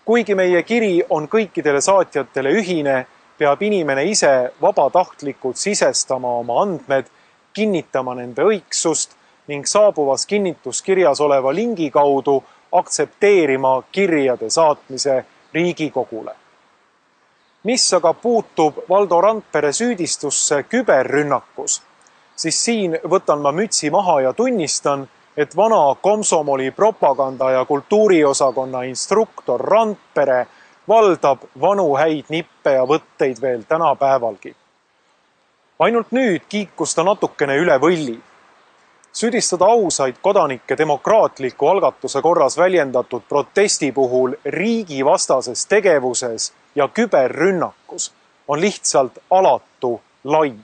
Kuigi meie kiri on kõikidele saatjatele ühine, peab inimene ise vabatahtlikult sisestama oma andmed, kinnitama nende õigsust ning saabuvas kinnituskirjas oleva lingi kaudu aktsepteerima kirjade saatmise Riigikogule. Mis aga puutub Valdo Randpere süüdistusse küberrünnakus, siis siin võtan ma mütsi maha ja tunnistan, et vana komsomoli propaganda ja kultuuriosakonna instruktor Randpere valdab vanu häid nippe ja võtteid veel tänapäevalgi. Ainult nüüd kiikus ta natukene üle võlli. Süüdistada ausaid kodanikke demokraatliku algatuse korras väljendatud protesti puhul riigivastases tegevuses ja küberrünnakus on lihtsalt alatu laim.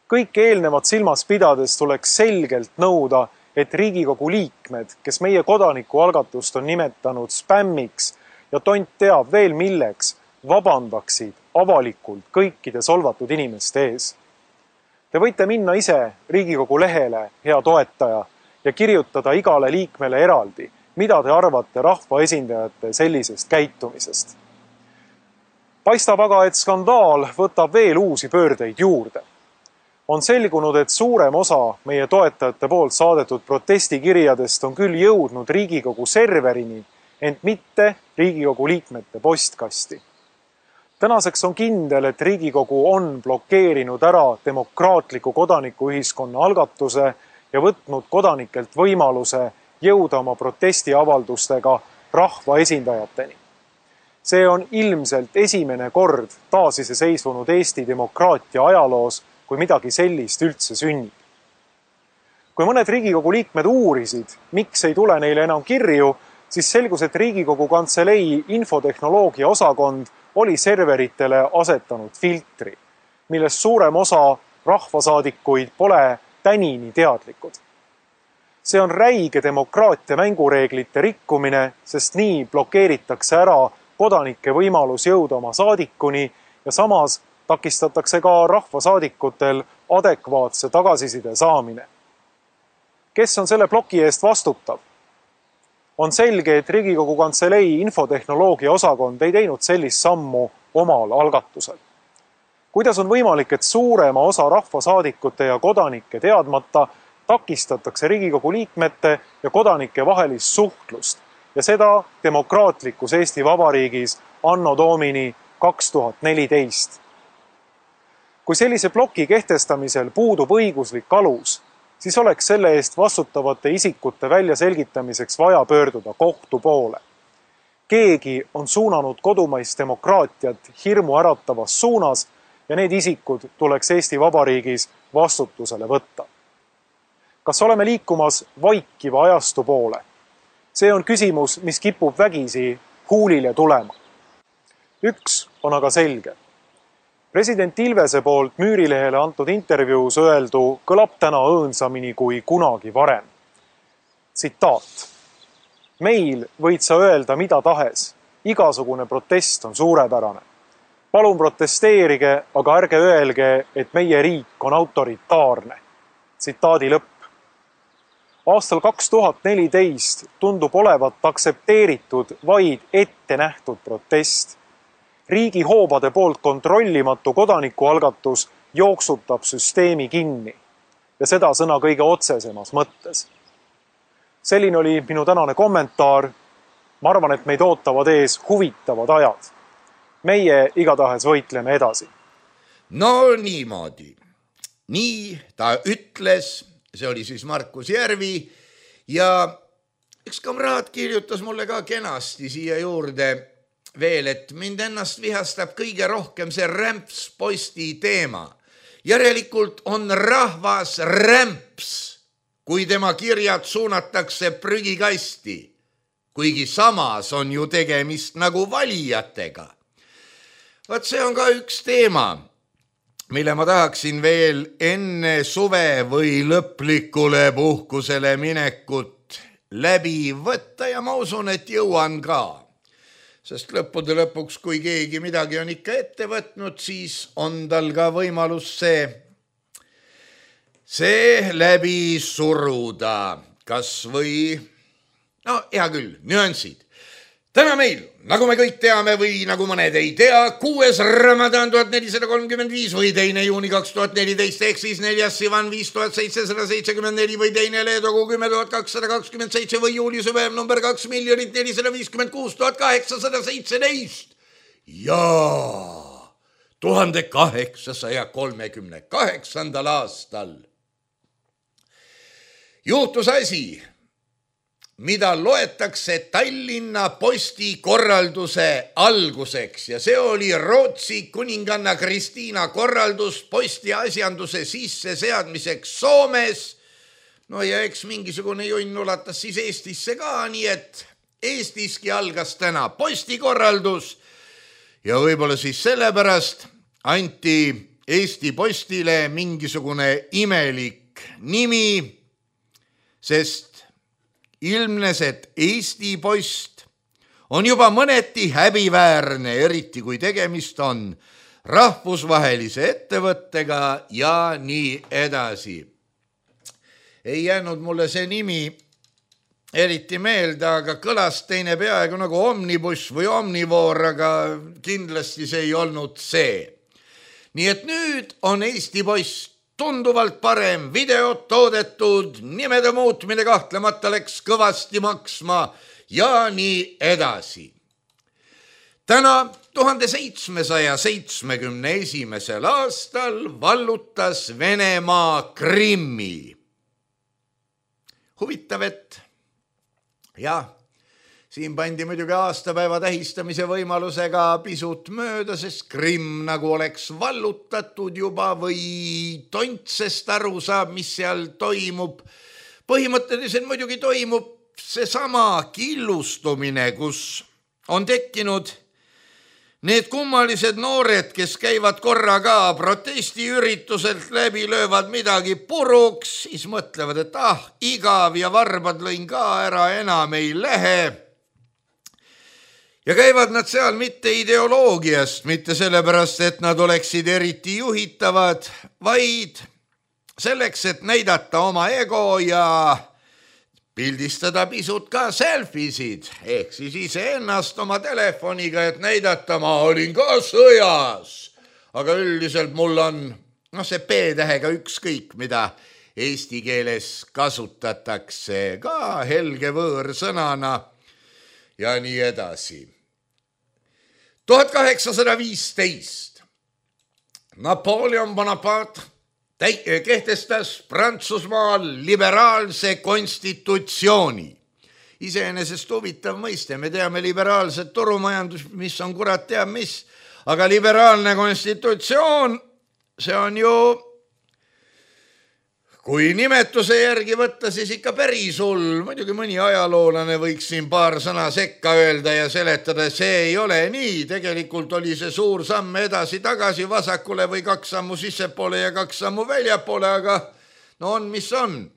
Kõik eelnevat silmas pidades tuleks selgelt nõuda, et Riigikogu liikmed, kes meie kodanikualgatust on nimetanud spämmiks ja tont teab veel milleks, vabandaksid avalikult kõikide solvatud inimeste ees. Te võite minna ise Riigikogu lehele, hea toetaja, ja kirjutada igale liikmele eraldi, mida te arvate rahvaesindajate sellisest käitumisest. Paistab aga, et skandaal võtab veel uusi pöördeid juurde. On selgunud, et suurem osa meie toetajate poolt saadetud protestikirjadest on küll jõudnud Riigikogu serverini, ent mitte Riigikogu liikmete postkasti. Tänaseks on kindel, et Riigikogu on blokeerinud ära demokraatliku kodanikuühiskonna algatuse ja võtnud kodanikelt võimaluse jõuda oma protestiavaldustega rahvaesindajateni. See on ilmselt esimene kord taasiseseisvunud Eesti demokraatia ajaloos, kui midagi sellist üldse sünnib. Kui mõned Riigikogu liikmed uurisid, miks ei tule neile enam kirju, siis selgus, et Riigikogu Kantselei infotehnoloogia osakond oli serveritele asetanud filtri, millest suurem osa rahvasaadikuid pole tänini teadlikud. See on räige demokraatia mängureeglite rikkumine, sest nii blokeeritakse ära kodanike võimalus jõuda oma saadikuni ja samas takistatakse ka rahvasaadikutel adekvaatse tagasiside saamine. Kes on selle ploki eest vastutav? On selge, et Riigikogu Kantselei infotehnoloogia osakond ei teinud sellist sammu omal algatusel. Kuidas on võimalik, et suurema osa rahvasaadikute ja kodanike teadmata takistatakse Riigikogu liikmete ja kodanike vahelist suhtlust ja seda demokraatlikus Eesti Vabariigis anno domini 2014. Kui sellise ploki kehtestamisel puudub õiguslik alus, siis oleks selle eest vastutavate isikute väljaselgitamiseks vaja pöörduda kohtu poole. Keegi on suunanud kodumaist demokraatiat hirmu äratavas suunas ja need isikud tuleks Eesti Vabariigis vastutusele võtta. Kas oleme liikumas vaikiva ajastu poole? See on küsimus, mis kipub vägisi huulile tulema. Üks on aga selge. President Ilvese poolt Müürilehele antud intervjuus öeldu kõlab täna õõnsamini kui kunagi varem. Tsitaat. Meil võid sa öelda mida tahes. Igasugune protest on suurepärane. Palun protesteerige, aga ärge öelge, et meie riik on autoritaarne. Tsitaadi lõpp. Aastal 2014 tundub olevat aksepteeritud vaid ette nähtud protest. Riigi hoobade poolt kontrollimatu kodanikualgatus jooksutab süsteemi kinni ja seda sõna kõige otsesemas mõttes. Selline oli minu tänane kommentaar. Ma arvan, et meid ootavad ees huvitavad ajad. Meie igatahes võitleme edasi. No niimoodi. Nii ta ütles, see oli siis Markus Järvi ja üks kamraad kirjutas mulle ka kenasti siia juurde veel, et mind ennast vihastab kõige rohkem see rämpsposti teema. Järelikult on rahvas rämps, kui tema kirjad suunatakse prügikasti, kuigi samas on ju tegemist nagu valijatega. Vaat see on ka üks teema, mille ma tahaksin veel enne suve või lõplikule puhkusele minekut läbi võtta ja ma usun, et jõuan ka. Sest lõppude lõpuks, kui keegi midagi on ikka ette võtnud, siis on tal ka võimalus see läbi suruda. Kas või, no hea küll, nüansid. Täna meil, nagu me kõik teame või nagu mõned ei tea, 6. Ramadan 1435 või 2. juuni 2014 ehk siis 4. Sivan 5774 või 2. Leedogu 10227 või juuli süvev number 2 456 817 ja 1838. aastal juhtus asi, mida loetakse Tallinna Posti korralduse alguseks ja see oli Rootsi kuninganna Kristiina korraldus posti asjanduse sisseseadmiseks Soomes. No ja eks mingisugune junn ulatas siis Eestisse ka, nii et Eestiski algas täna postikorraldus ja võib-olla siis sellepärast anti Eesti Postile mingisugune imelik nimi, sest ilmnes, et Eesti Post on juba mõneti häbiväärne, eriti kui tegemist on rahvusvahelise ettevõttega ja nii edasi. Ei jäänud mulle see nimi eriti meelde, aga kõlas teine peaaegu nagu omnibus või omnivoor, aga kindlasti see ei olnud see. Nii et nüüd on Eesti Post tunduvalt parem, videot toodetud, nimede muutmine kahtlemata läks kõvasti maksma ja nii edasi. Täna 1771. aastal vallutas Venemaa Krimmi. Huvitav, et jah, siin pandi muidugi aastapäeva tähistamise võimalusega pisut mööda, sest Krimm nagu oleks vallutatud juba või tontsest aru saab, mis seal toimub. Põhimõtteliselt muidugi toimub seesama killustumine, kus on tekkinud need kummalised noored, kes käivad korra ka protestiürituselt läbi, löövad midagi puruks, siis mõtlevad, et igav ja varbad lõin ka ära, enam ei lähe. Ja käivad nad seal mitte ideoloogiast, mitte sellepärast, et nad oleksid eriti juhitavad, vaid selleks, et näidata oma ego ja pildistada pisut ka selfisid, ehk siis iseennast oma telefoniga, et näidata, ma olin ka sõjas. Aga üldiselt mul on see P-tähega ükskõik, mida eesti keeles kasutatakse ka helge võõrsõnana. ja nii edasi. 1815 Napoleon Bonaparte kehtestas Prantsusmaal liberaalse konstitutsiooni. Iseenesest huvitav mõiste, me teame liberaalset turumajandus, mis on kurat teab mis, aga liberaalne konstitutsioon, see on ju, kui nimetuse järgi võtta, siis ikka päris hull. Muidugi mõni ajaloolane võiks siin paar sõna sekka öelda ja seletada, see ei ole nii. Tegelikult oli see suur samm edasi-tagasi vasakule või 2 sammu sissepoole ja 2 sammu väljapoole, aga no on, mis on.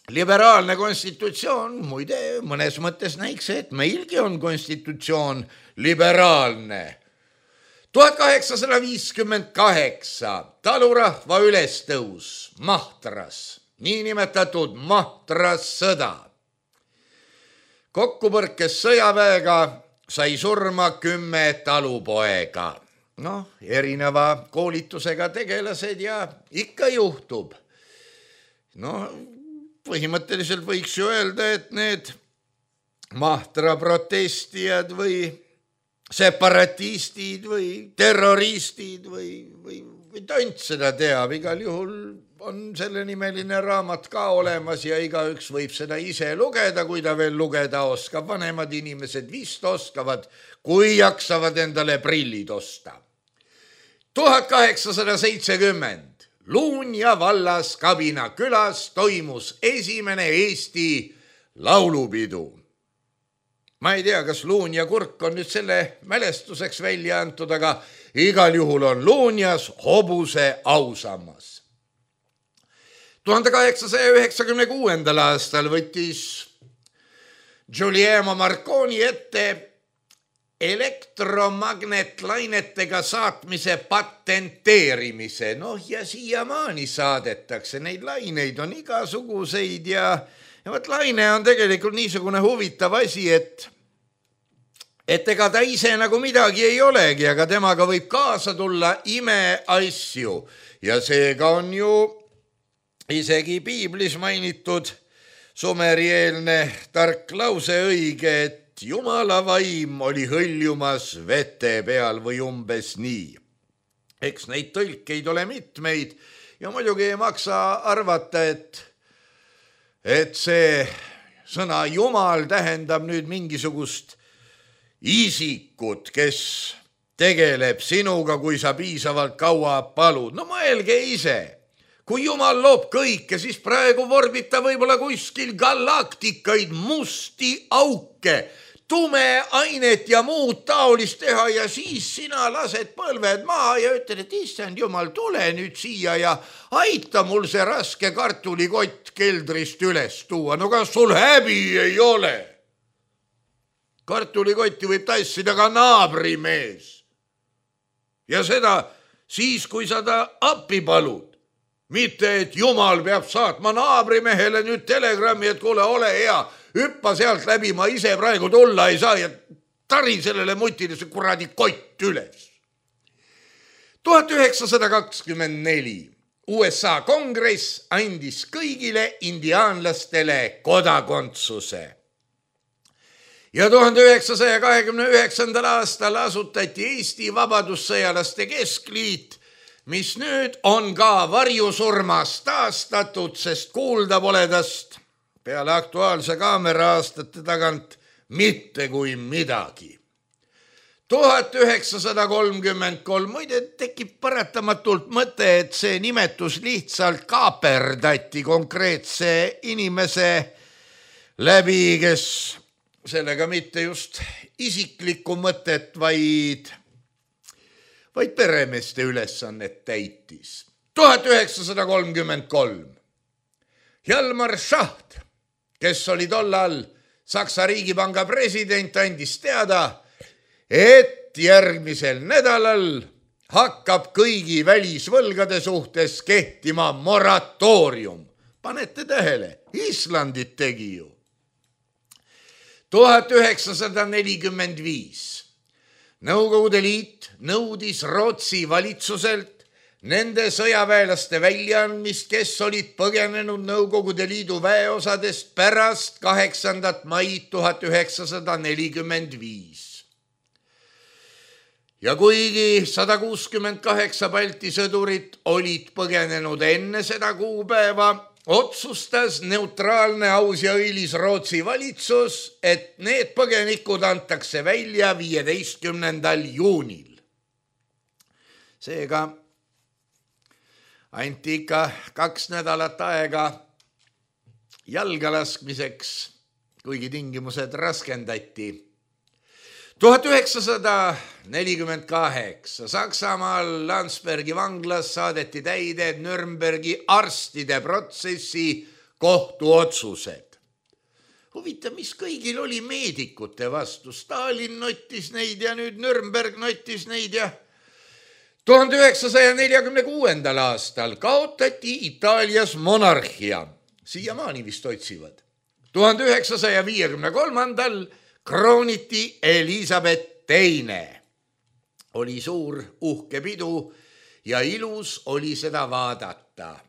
Liberaalne konstitutsioon, muide, mõnes mõttes näiks, et meilgi on konstitutsioon liberaalne. 1858 talurahva ülestõus, Mahtras, niinimetatud Mahtras sõda. Kokkupõrkes sõjaväega sai surma 10 talupoega. Noh, erineva koolitusega tegelased ja ikka juhtub. No, põhimõtteliselt võiks ju öelda, et need Mahtra protestijad või separatistid või terroristid või tont seda teab. Igal juhul on selle nimeline raamat ka olemas ja igaüks võib seda ise lugeda, kui ta veel lugeda oskab. Vanemad inimesed vist oskavad, kui jaksavad endale prillid osta. 1870 Luunja vallas Kabina külas toimus esimene Eesti laulupidu. Ma ei tea, kas Luunja kurk on nüüd selle mälestuseks välja antud, aga igal juhul on Luunjas hobuse ausammas. 1896. aastal võttis Giuliano Marconi ette elektromagnetlainetega saatmise patenteerimise. Noh, ja siiamaani saadetakse. Neid laineid on igasuguseid ja võt laine on tegelikult niisugune huvitav asi, et ega ta ise nagu midagi ei olegi, aga temaga võib kaasa tulla imeasju. Ja seega on ju isegi piiblis mainitud sumerieelne tark lause õige, et Jumala vaim oli hõljumas vete peal või umbes nii. Eks neid tõlkeid ole mitmeid ja muidugi ei maksa arvata, et see sõna Jumal tähendab nüüd mingisugust isikut, kes tegeleb sinuga, kui sa piisavalt kaua palud. No mõelge ise, kui Jumal loob kõike, siis praegu vorbib ta võib-olla kuskil galaktikaid, musti auke, tume ainet ja muud taolist teha ja siis sina lased põlved maha ja ütled, et issand Jumal, tule nüüd siia ja aita mul see raske kartulikott keldrist üles tuua. No kas sul häbi ei ole? Kartulikotti võib tassida ka naabrimees. Ja seda siis, kui sa ta appi palud. Mitte, et Jumal peab saatma naabrimehele nüüd telegrammi, et kuule, ole hea, hüppa sealt läbi, ma ise praegu tulla ei saa ja tari sellele mutile see kuradi kott üles. 1924 USA kongress andis kõigile indiaanlastele kodakondsuse. Ja 1929. aastal asutati Eesti Vabadussõjalaste Keskliit, mis nüüd on ka varjusurmas taastatud, sest kuulda pole tast peale Aktuaalse Kaamera aastate tagant mitte kui midagi. 1933, muide tekib paratamatult mõte, et see nimetus lihtsalt kaaperdati konkreetse inimese läbi, kes sellega mitte just isiklikku mõtet, vaid peremeeste ülesannet täitis. 1933 Hjalmar Schacht, kes oli tollal Saksa Riigipanga president, andis teada, et järgmisel nädalal hakkab kõigi välisvõlgade suhtes kehtima moratoorium. Panete tähele, Islandit tegi ju. 1945 Nõukogude Liit nõudis Rootsi valitsuselt nende sõjaväelaste väljaandmist, kes olid põgenenud Nõukogude Liidu väeosadest pärast 8. maid 1945. Ja kuigi 168 Balti sõdurit olid põgenenud enne seda kuupäeva, otsustas neutraalne, aus ja õilis Rootsi valitsus, et need põgenikud antakse välja 15. juunil. Seega anti ikka 2 nädalat aega jalga laskmiseks, kuigi tingimused raskendati. 1948 Saksamaal Landsbergi vanglas saadeti täide Nürnbergi arstide protsessi kohtuotsused. Huvitav, mis kõigil oli meedikute vastu. Stalin nottis neid ja nüüd Nürnberg nottis neid ja 1946. aastal kaotati Itaalias monarhia. Siiamaani vist otsivad. 1953. krooniti Elisabeth II. Oli suur uhke pidu ja ilus oli seda vaadata.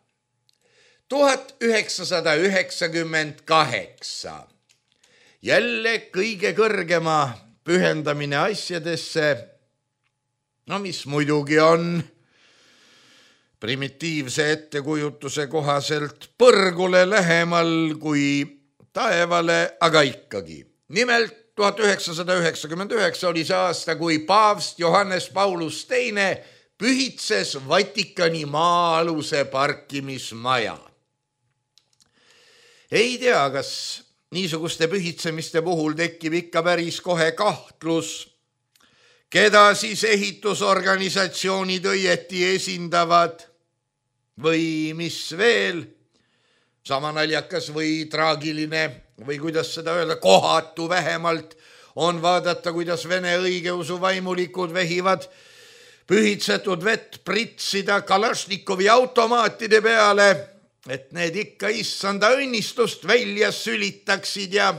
1998. Jälle kõige kõrgema pühendamine asjadesse, no mis muidugi on primitiivse ettekujutuse kohaselt põrgule lähemal kui taevale, aga ikkagi. Nimelt 1999 oli see aasta, kui paavst Johannes Paulus II pühitses Vatikani maa-aluse parkimismaja. Ei tea, kas niisuguste pühitsemiste puhul tekib ikka päris kohe kahtlus, keda siis ehitusorganisatsioonid õieti esindavad või mis veel, sama naljakas või traagiline või kuidas seda öelda, kohatu vähemalt on vaadata, kuidas Vene õigeusu vaimulikud vehivad pühitsetud vett pritsida Kalašnikovi automaatide peale, et need ikka issanda õnnistust välja sülitaksid ja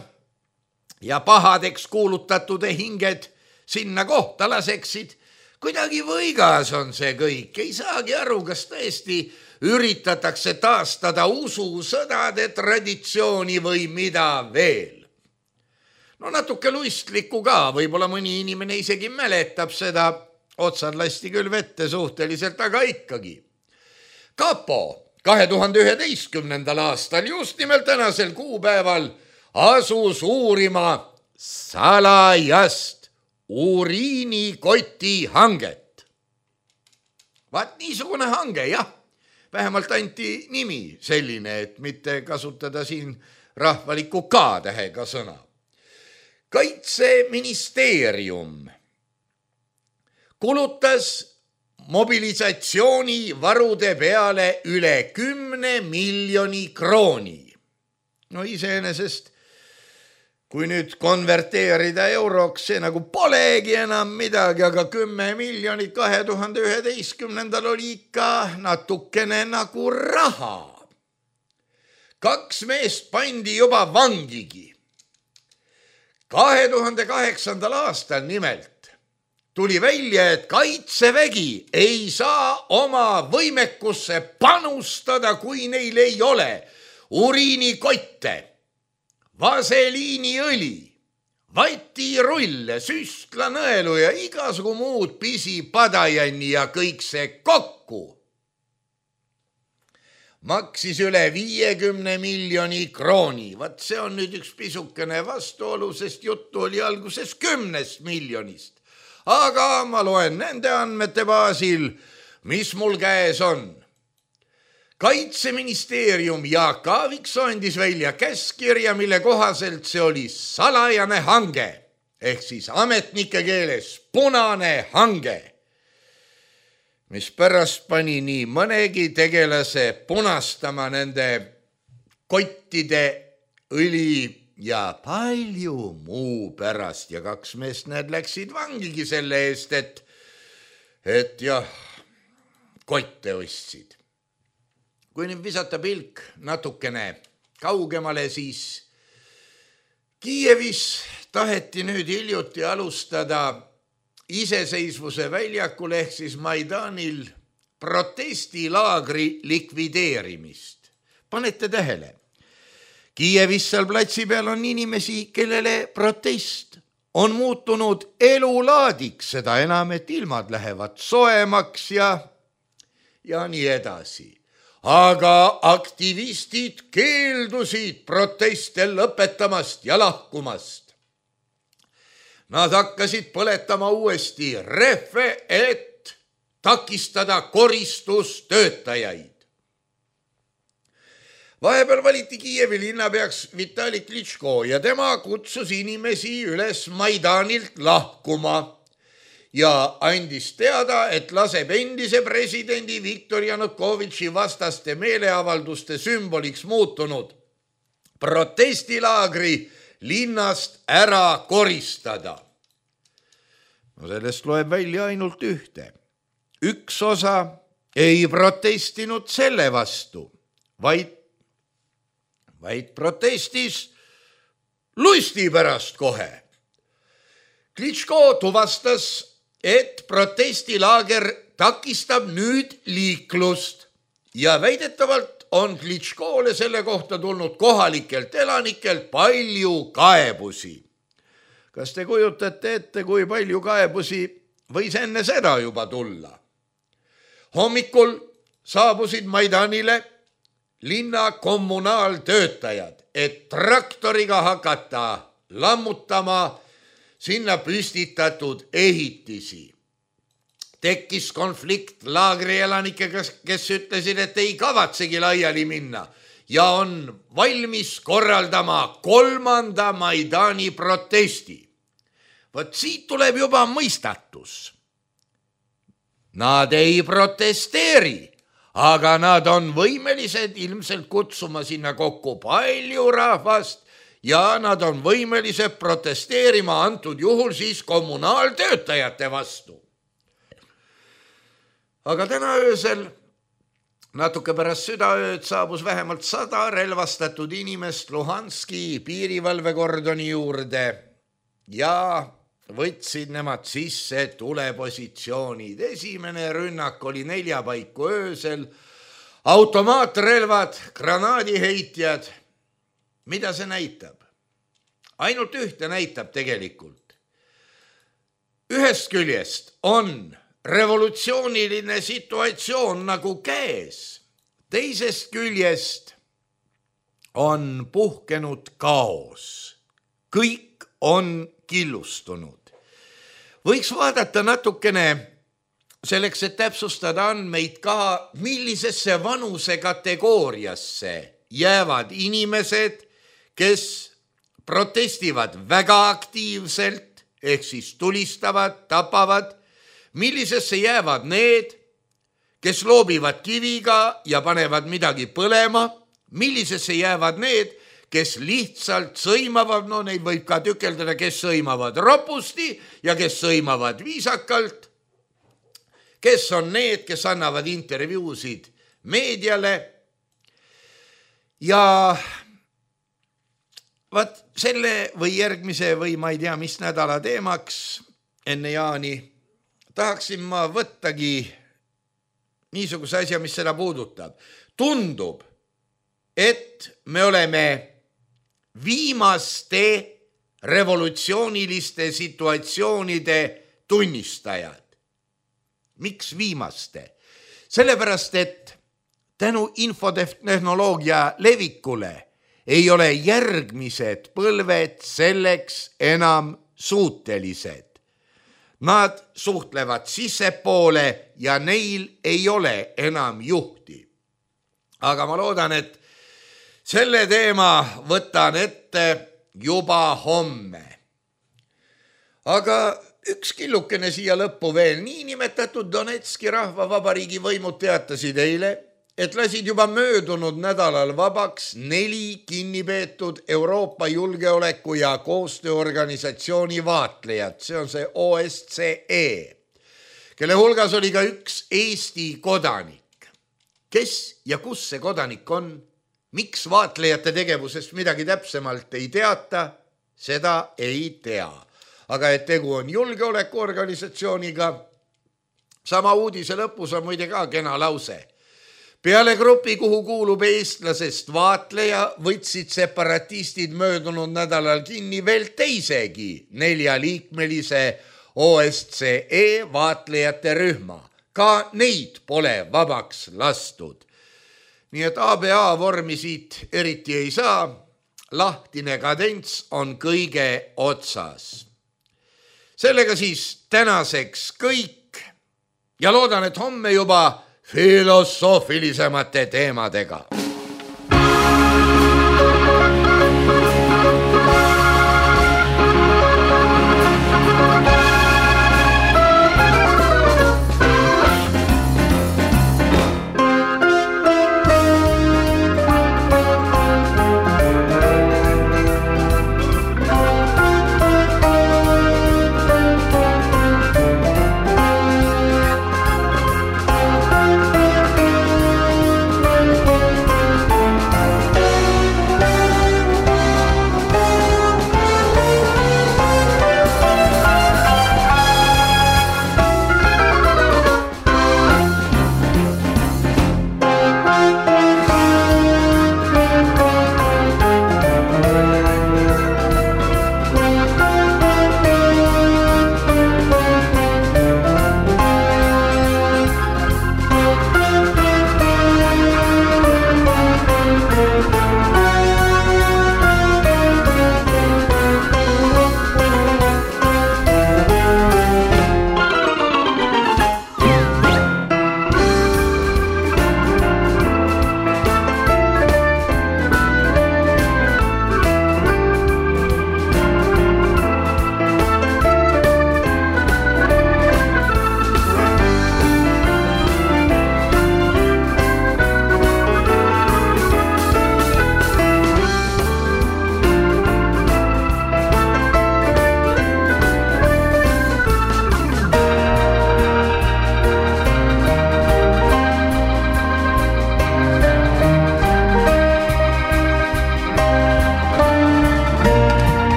pahadeks kuulutatud hinged sinna kohta laseksid. Kuidagi võigas on see kõik, ei saagi aru, kas tõesti üritatakse taastada ususõdade traditsiooni või mida veel. No natuke luistlikku ka, võib-olla mõni inimene isegi mäletab seda, otsad lasti küll vette suhteliselt, aga ikkagi. Kapo 2011. aastal, just nimelt tänasel kuupäeval, asus uurima salajast uriinikoti hanget. Vaat niisugune hange, jah. Vähemalt anti nimi selline, et mitte kasutada siin rahvaliku K-tähega sõna. Kaitseministeerium kulutas mobilisatsioonivarude peale üle 10 miljoni krooni. No iseenesest, kui nüüd konverteerida euroks, see nagu polegi enam midagi, aga 10 miljonit 2011. oli ikka natukene nagu raha. 2 meest pandi juba vangigi. 2008. aastal nimelt tuli välja, et Kaitsevägi ei saa oma võimekusse panustada, kui neil ei ole uriinikotte, vaseliiniõli, vatirulle, süstlanõelu ja igasugu muud pisipadajani ja kõik see kokku maksis üle 50 miljoni krooni. Vat see on nüüd üks pisukene vastuolu, sest juttu oli alguses 10 miljonist. Aga ma loen nende andmete baasil, mis mul käes on. Kaitseministeerium Jaak Aaviksoo andis välja käskkirja, mille kohaselt see oli salajane hange, ehk siis ametnike keeles punane hange, mis pärast pani nii mõnegi tegelase punastama nende kottide, õli ja palju muu pärast. Ja 2 meest need läksid vangigi selle eest, et jah, kotte ostsid. Kui nüüd visata pilk natukene kaugemale, siis Kiievis taheti nüüd hiljuti alustada iseseisvuse väljakul ehk siis Maidanil protestilaagri likvideerimist. Panete tähele, Kiievis seal platsi peal on inimesi, kellele protest on muutunud elulaadiks, seda enam, et ilmad lähevad soemaks ja nii edasi. Aga aktivistid keeldusid proteste lõpetamast ja lahkumast. Nad hakkasid põletama uuesti rehve, et takistada koristustöötajaid. Vahepeal valiti Kiievi linnapeaks Vitali Klitško ja tema kutsus inimesi üles Maidanilt lahkuma ja andis teada, et laseb endise presidendi Viktor Janukovitši vastaste meeleavalduste sümboliks muutunud protestilaagri linnast ära koristada. No sellest loeb välja ainult ühte. Üks osa ei protestinud selle vastu, vaid protestis lusti pärast kohe. Klitško tuvastas, et protestilaager takistab nüüd liiklust ja väidetavalt on Klitškole selle kohta tulnud kohalikelt elanikelt palju kaebusi. Kas te kujutate ette, kui palju kaebusi võis enne seda juba tulla? Hommikul saabusid Maidanile linna kommunaaltöötajad, et traktoriga hakata lammutama sinna püstitatud ehitisi. Tekkis konflikt laagri elanikega, kes ütlesid, et ei kavatsegi laiali minna ja on valmis korraldama 3. Maidani protesti. Vot siit tuleb juba mõistatus. Nad ei protesteeri, aga nad on võimelised ilmselt kutsuma sinna kokku palju rahvast ja nad on võimelised protesteerima antud juhul siis kommunaaltöötajate vastu. Aga täna öösel, natuke pärast südaööd, saabus vähemalt 100 relvastatud inimest Luhanski piirivalvekordoni juurde ja võtsid nemad sisse tulepositsioonid. Esimene rünnak oli 4 paiku öösel, automaatrelvad, granaadiheitjad. Mida see näitab? Ainult ühte näitab tegelikult. Ühest küljest on revolutsiooniline situatsioon nagu käes. Teisest küljest on puhkenud kaos. Kõik on killustunud. Võiks vaadata natukene selleks, et täpsustada andmeid ka, millisesse vanusekategooriasse jäävad inimesed, kes protestivad väga aktiivselt, ehk siis tulistavad, tapavad, millisesse jäävad need, kes loobivad kiviga ja panevad midagi põlema, millisesse jäävad need, kes lihtsalt sõimavad, no neid võib ka tükeldada, kes sõimavad ropusti ja kes sõimavad viisakalt, kes on need, kes annavad intervjuusid meediale. Ja vaat selle või järgmise või ma ei tea, mis nädala teemaks enne jaani tahaksin ma võttagi niisuguse asja, mis seda puudutab. Tundub, et me oleme viimaste revolutsiooniliste situatsioonide tunnistajad. Miks viimaste? Sellepärast, et tänu infotehnoloogia levikule ei ole järgmised põlved selleks enam suutelised. Nad suhtlevad sissepoole ja neil ei ole enam juhti. Aga ma loodan, et selle teema võtan ette juba homme. Aga üks killukene siia lõppu veel. Niinimetatud Donetski rahvavabariigi võimud teatasid eile, et lasid juba möödunud nädalal vabaks 4 kinnipeetud Euroopa julgeoleku ja koostööorganisatsiooni vaatlejat. See on see OSCE, kelle hulgas oli ka üks Eesti kodanik. Kes ja kus see kodanik on? Miks vaatlejate tegevusest midagi täpsemalt ei teata? Seda ei tea. Aga et tegu on julgeolekuorganisatsiooniga, Sama uudise lõpus on muide ka kena lause. Peale grupi, kuhu kuulub eestlasest vaatleja, võtsid separatistid möödunud nädalal kinni veel teisegi 4-liikmelise OSCE vaatlejate rühma. Ka neid pole vabaks lastud. Nii et ABA vormi siit eriti ei saa. Lahtine kadents on kõige otsas. Sellega siis tänaseks kõik ja loodan, et homme juba filosoofilisemate teemadega.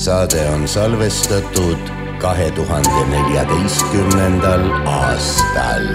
Saade on salvestatud 2014. aastal.